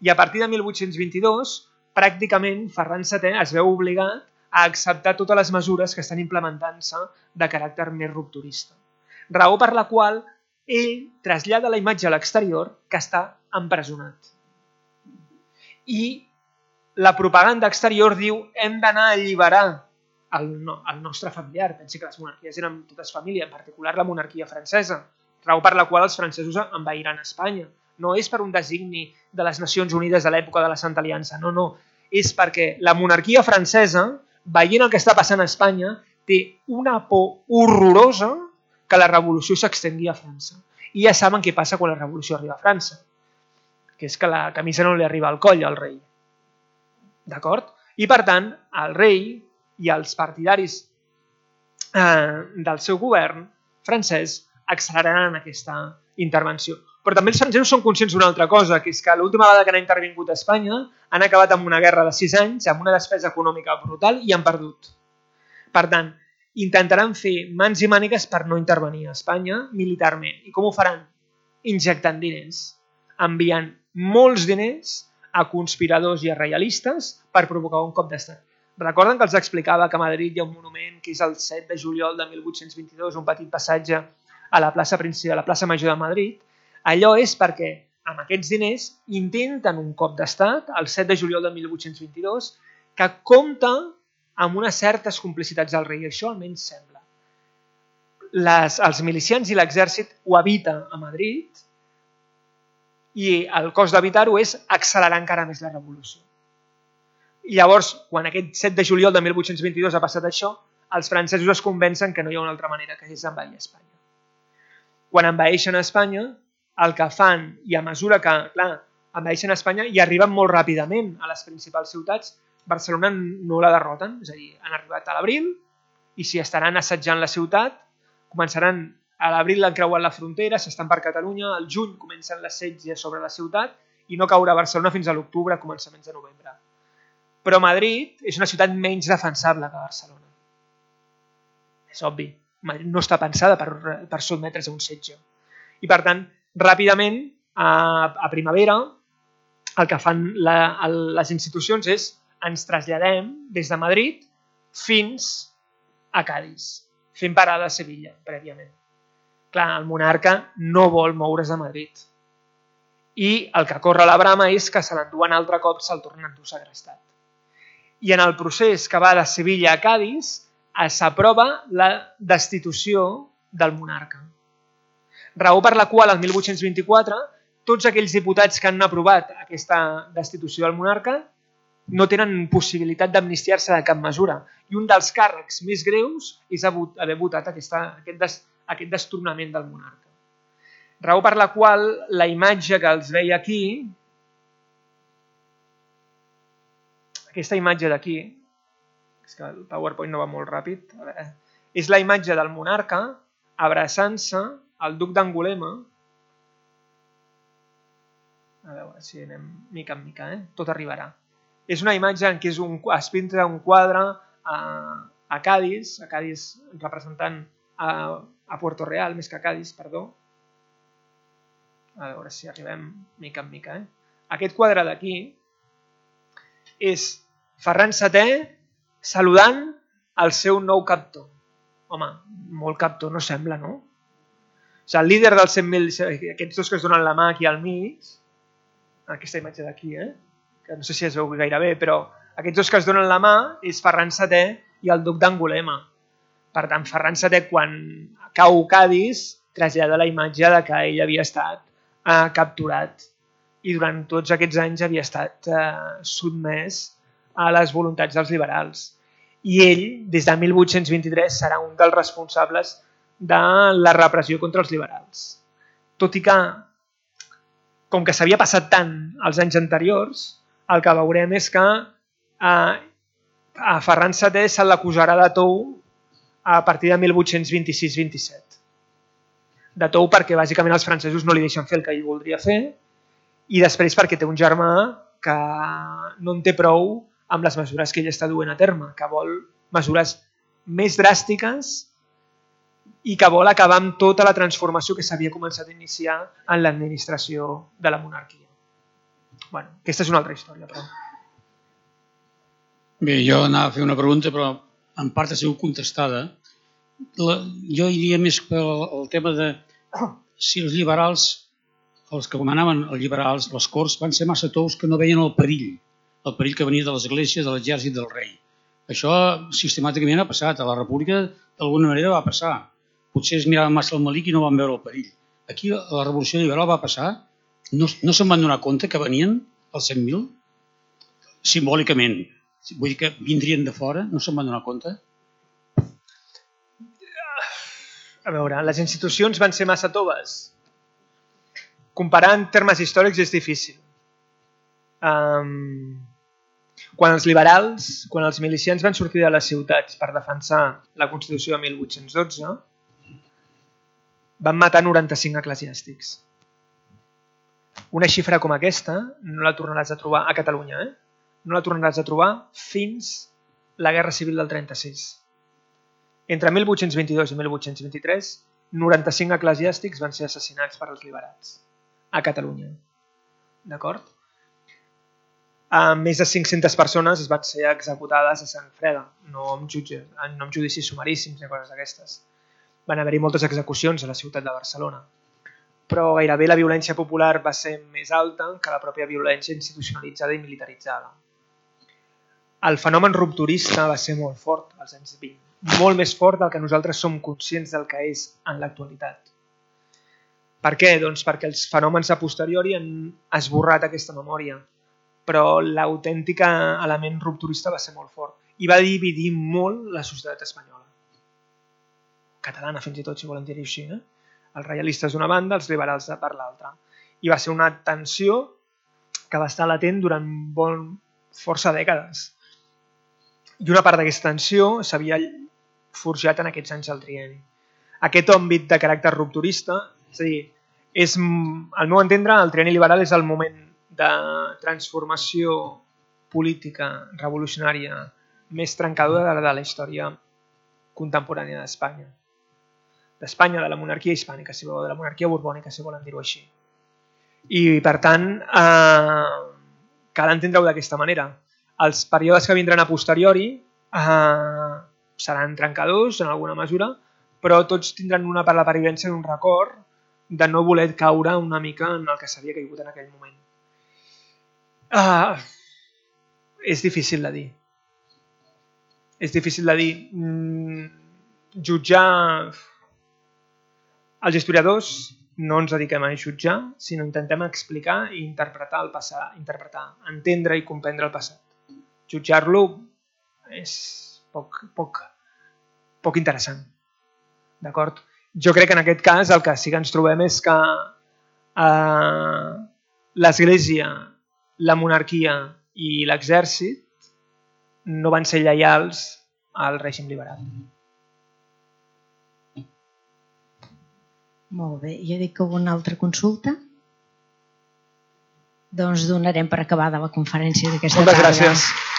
I a partir de mil vuit-cents vint-i-dos, pràcticament Ferran setè es veu obligat a acceptar totes les mesures que estan implementant-se de caràcter més rupturista. Raó per la qual ell trasllada la imatge a l'exterior que està empresonat. I la propaganda exterior diu hem d'anar a alliberar el, no, el nostre familiar. Pensi que les monarquies eren totes família, en particular la monarquia francesa, raó per la qual els francesos envairan Espanya. No és per un designi de les Nacions Unides de l'època de la Santa Aliança, no, no. És perquè la monarquia francesa, veient el que està passant a Espanya, té una por horrorosa que la revolució s'extengui a França. I ja saben què passa quan la revolució arriba a França, que és que la camisa no li arriba al coll al rei. D'acord? I per tant, el rei i els partidaris eh, del seu govern francès acceleraran aquesta intervenció. Però també els francesos són conscients d'una altra cosa, que és que l'última vegada que han intervingut a Espanya han acabat amb una guerra de sis anys, amb una despesa econòmica brutal i han perdut. Per tant, intentaran fer mans i mànigues per no intervenir a Espanya militarment. I com ho faran? Injectant diners, enviant molts diners a conspiradors i a reialistes per provocar un cop d'estat. Recorden que els explicava que a Madrid hi ha un monument que és el set de juliol de mil vuit-cents vint-i-dos, un petit passatge a la plaça principal, a la plaça Major de Madrid? Allò és perquè amb aquests diners intenten un cop d'estat, el set de juliol de mil vuit-cents vint-i-dos, que compta amb unes certes complicitats del rei. Això almenys sembla. Les, els milicians i l'exèrcit ho evita a Madrid i el cost d'evitar-ho és accelerar encara més la revolució. I llavors, quan aquest set de juliol de mil vuit-cents vint-i-dos ha passat això, els francesos es convencen que no hi ha una altra manera que és envair Espanya. Quan envaeixen Espanya, el que fan, i a mesura que, clar, envaeixen Espanya i arriben molt ràpidament a les principals ciutats, Barcelona no la derroten, és a dir, han arribat a l'abril i si estaran assetjant la ciutat, començaran a l'abril han creuat la frontera, s'estan per Catalunya, al juny comencen l'assetge sobre la ciutat i no caurà Barcelona fins a l'octubre, començaments de novembre. Però Madrid és una ciutat menys defensable que Barcelona. És obvi. Madrid no està pensada per, per sotmetre's a un setge. I per tant, ràpidament, a, a primavera, el que fan la, el, les institucions és ens traslladem des de Madrid fins a Cadis, fent parada a Sevilla, prèviament. Clar, el monarca no vol moure's de Madrid. I el que corre a la brama és que se l'enduen altre cop, se'l tornen a endur segrestat. I en el procés que va de Sevilla a Cadis s'aprova la destitució del monarca. Raó per la qual, el mil vuit-cents vint-i-quatre, tots aquells diputats que han aprovat aquesta destitució del monarca no tenen possibilitat d'amnistiar-se de cap mesura. I un dels càrrecs més greus és haver votat aquesta, aquest, des, aquest destronament del monarca. Raó per la qual la imatge que els veia aquí, aquesta imatge d'aquí, és que el PowerPoint no va molt ràpid, a veure, és la imatge del monarca abraçant-se al duc d'Angulema. A veure si anem mica en mica, eh? Tot arribarà. És una imatge en què és un, es pinta un quadre a, a Cadis, a Cadis representant a, a Puerto Real, més que a Cadis, perdó. A veure si arribem mica en mica. Eh? Aquest quadre d'aquí és Ferran setè saludant el seu nou captor. Home, molt captor no sembla, no? O sigui, el líder dels cent mil, aquests dos que es donen la mà aquí al mig, aquesta imatge d'aquí, eh? Que no sé si es veu gaire bé, però aquests dos que es donen la mà és Ferran setè i el duc d'Angulema. Per tant, Ferran setè, quan cau Cadis, trasllada la imatge de que ell havia estat eh, capturat i durant tots aquests anys havia estat eh, sotmès a les voluntats dels liberals. I ell, des de mil vuit-cents vint-i-tres, serà un dels responsables de la repressió contra els liberals. Tot i que, com que s'havia passat tant els anys anteriors, el que veurem és que eh, a Ferran setè se l'acusarà de tou a partir de mil vuit-cents vint-i-sis vint-i-set. De tou perquè bàsicament els francesos no li deixen fer el que ell voldria fer i després perquè té un germà que no en té prou amb les mesures que ell està duent a terme, que vol mesures més dràstiques i que vol acabar amb tota la transformació que s'havia començat a iniciar en l'administració de la monarquia. Bueno, aquesta és una altra història, però... Bé, jo anava a fer una pregunta, però en part ha sigut contestada. La, jo iria més pel el tema de si els liberals, els que comanaven els liberals, les corts, van ser massa tous que no veien el perill, el perill que venia de l'església, de l'exèrcit, del rei. Això sistemàticament ha passat. A la república d'alguna manera va passar. Potser es miraven massa el malic i no van veure el perill. Aquí a la revolució liberal va passar, no, no se'n van donar compte que venien els cent mil? Simbòlicament. Vull dir que vindrien de fora, no se'n van donar compte? A veure, les institucions van ser massa toves. Comparar en termes històrics és difícil. Um, quan els liberals, quan els milicians van sortir de les ciutats per defensar la Constitució de mil vuit-cents dotze, van matar noranta-cinc eclesiàstics. Una xifra com aquesta no la tornaràs a trobar a Catalunya, eh? No la tornaràs a trobar fins la Guerra Civil del trenta-sis. Entre mil vuit-cents vint-i-dos i mil vuit-cents vint-i-tres, noranta-cinc eclesiàstics van ser assassinats per als liberats a Catalunya. D'acord? A més de cinc-centes persones van ser executades a sang freda, no amb, jutge, no amb judicis sumaríssims ni coses d'aquestes. Van haver-hi moltes execucions a la ciutat de Barcelona, però gairebé la violència popular va ser més alta que la pròpia violència institucionalitzada i militaritzada. El fenomen rupturista va ser molt fort als anys vint, molt més fort del que nosaltres som conscients del que és en l'actualitat. Per què? Doncs perquè els fenòmens a posteriori han esborrat aquesta memòria, però l'autèntic element rupturista va ser molt fort i va dividir molt la societat espanyola. Catalana, fins i tot, si volem dir-ho així. Eh? Els reialistes d'una banda, els liberals per l'altra. I va ser una tensió que va estar latent durant bon, força dècades. I una part d'aquesta tensió s'havia forjat en aquests anys del trienni. Aquest àmbit de caràcter rupturista, és a dir, és, al meu entendre, el trienni liberal és el moment de transformació política revolucionària més trencadora de la història contemporània d'Espanya. D'Espanya, de la monarquia hispànica, si voleu, de la monarquia borbònica, si volem dir-ho així. I, per tant, eh, cal entendre-ho d'aquesta manera. Els períodes que vindran a posteriori eh, seran trencadors, en alguna mesura, però tots tindran una per la pervivència d'un record de no voler caure una mica en el que s'havia caigut en aquell moment. Uh, és difícil de dir. És difícil de dir. Mm, jutjar... Els historiadors no ens dediquem a jutjar, sinó intentem explicar i interpretar el passat, interpretar, entendre i comprendre el passat. Jutjar-lo és poc, poc, poc interessant. D'acord? Jo crec que en aquest cas el que sí que ens trobem és que uh, l'Església, la monarquia i l'exèrcit no van ser lleials al règim liberal. Molt bé. Jo dic que una altra consulta. Doncs donarem per acabada la conferència d'aquesta tarda. Moltes gràcies.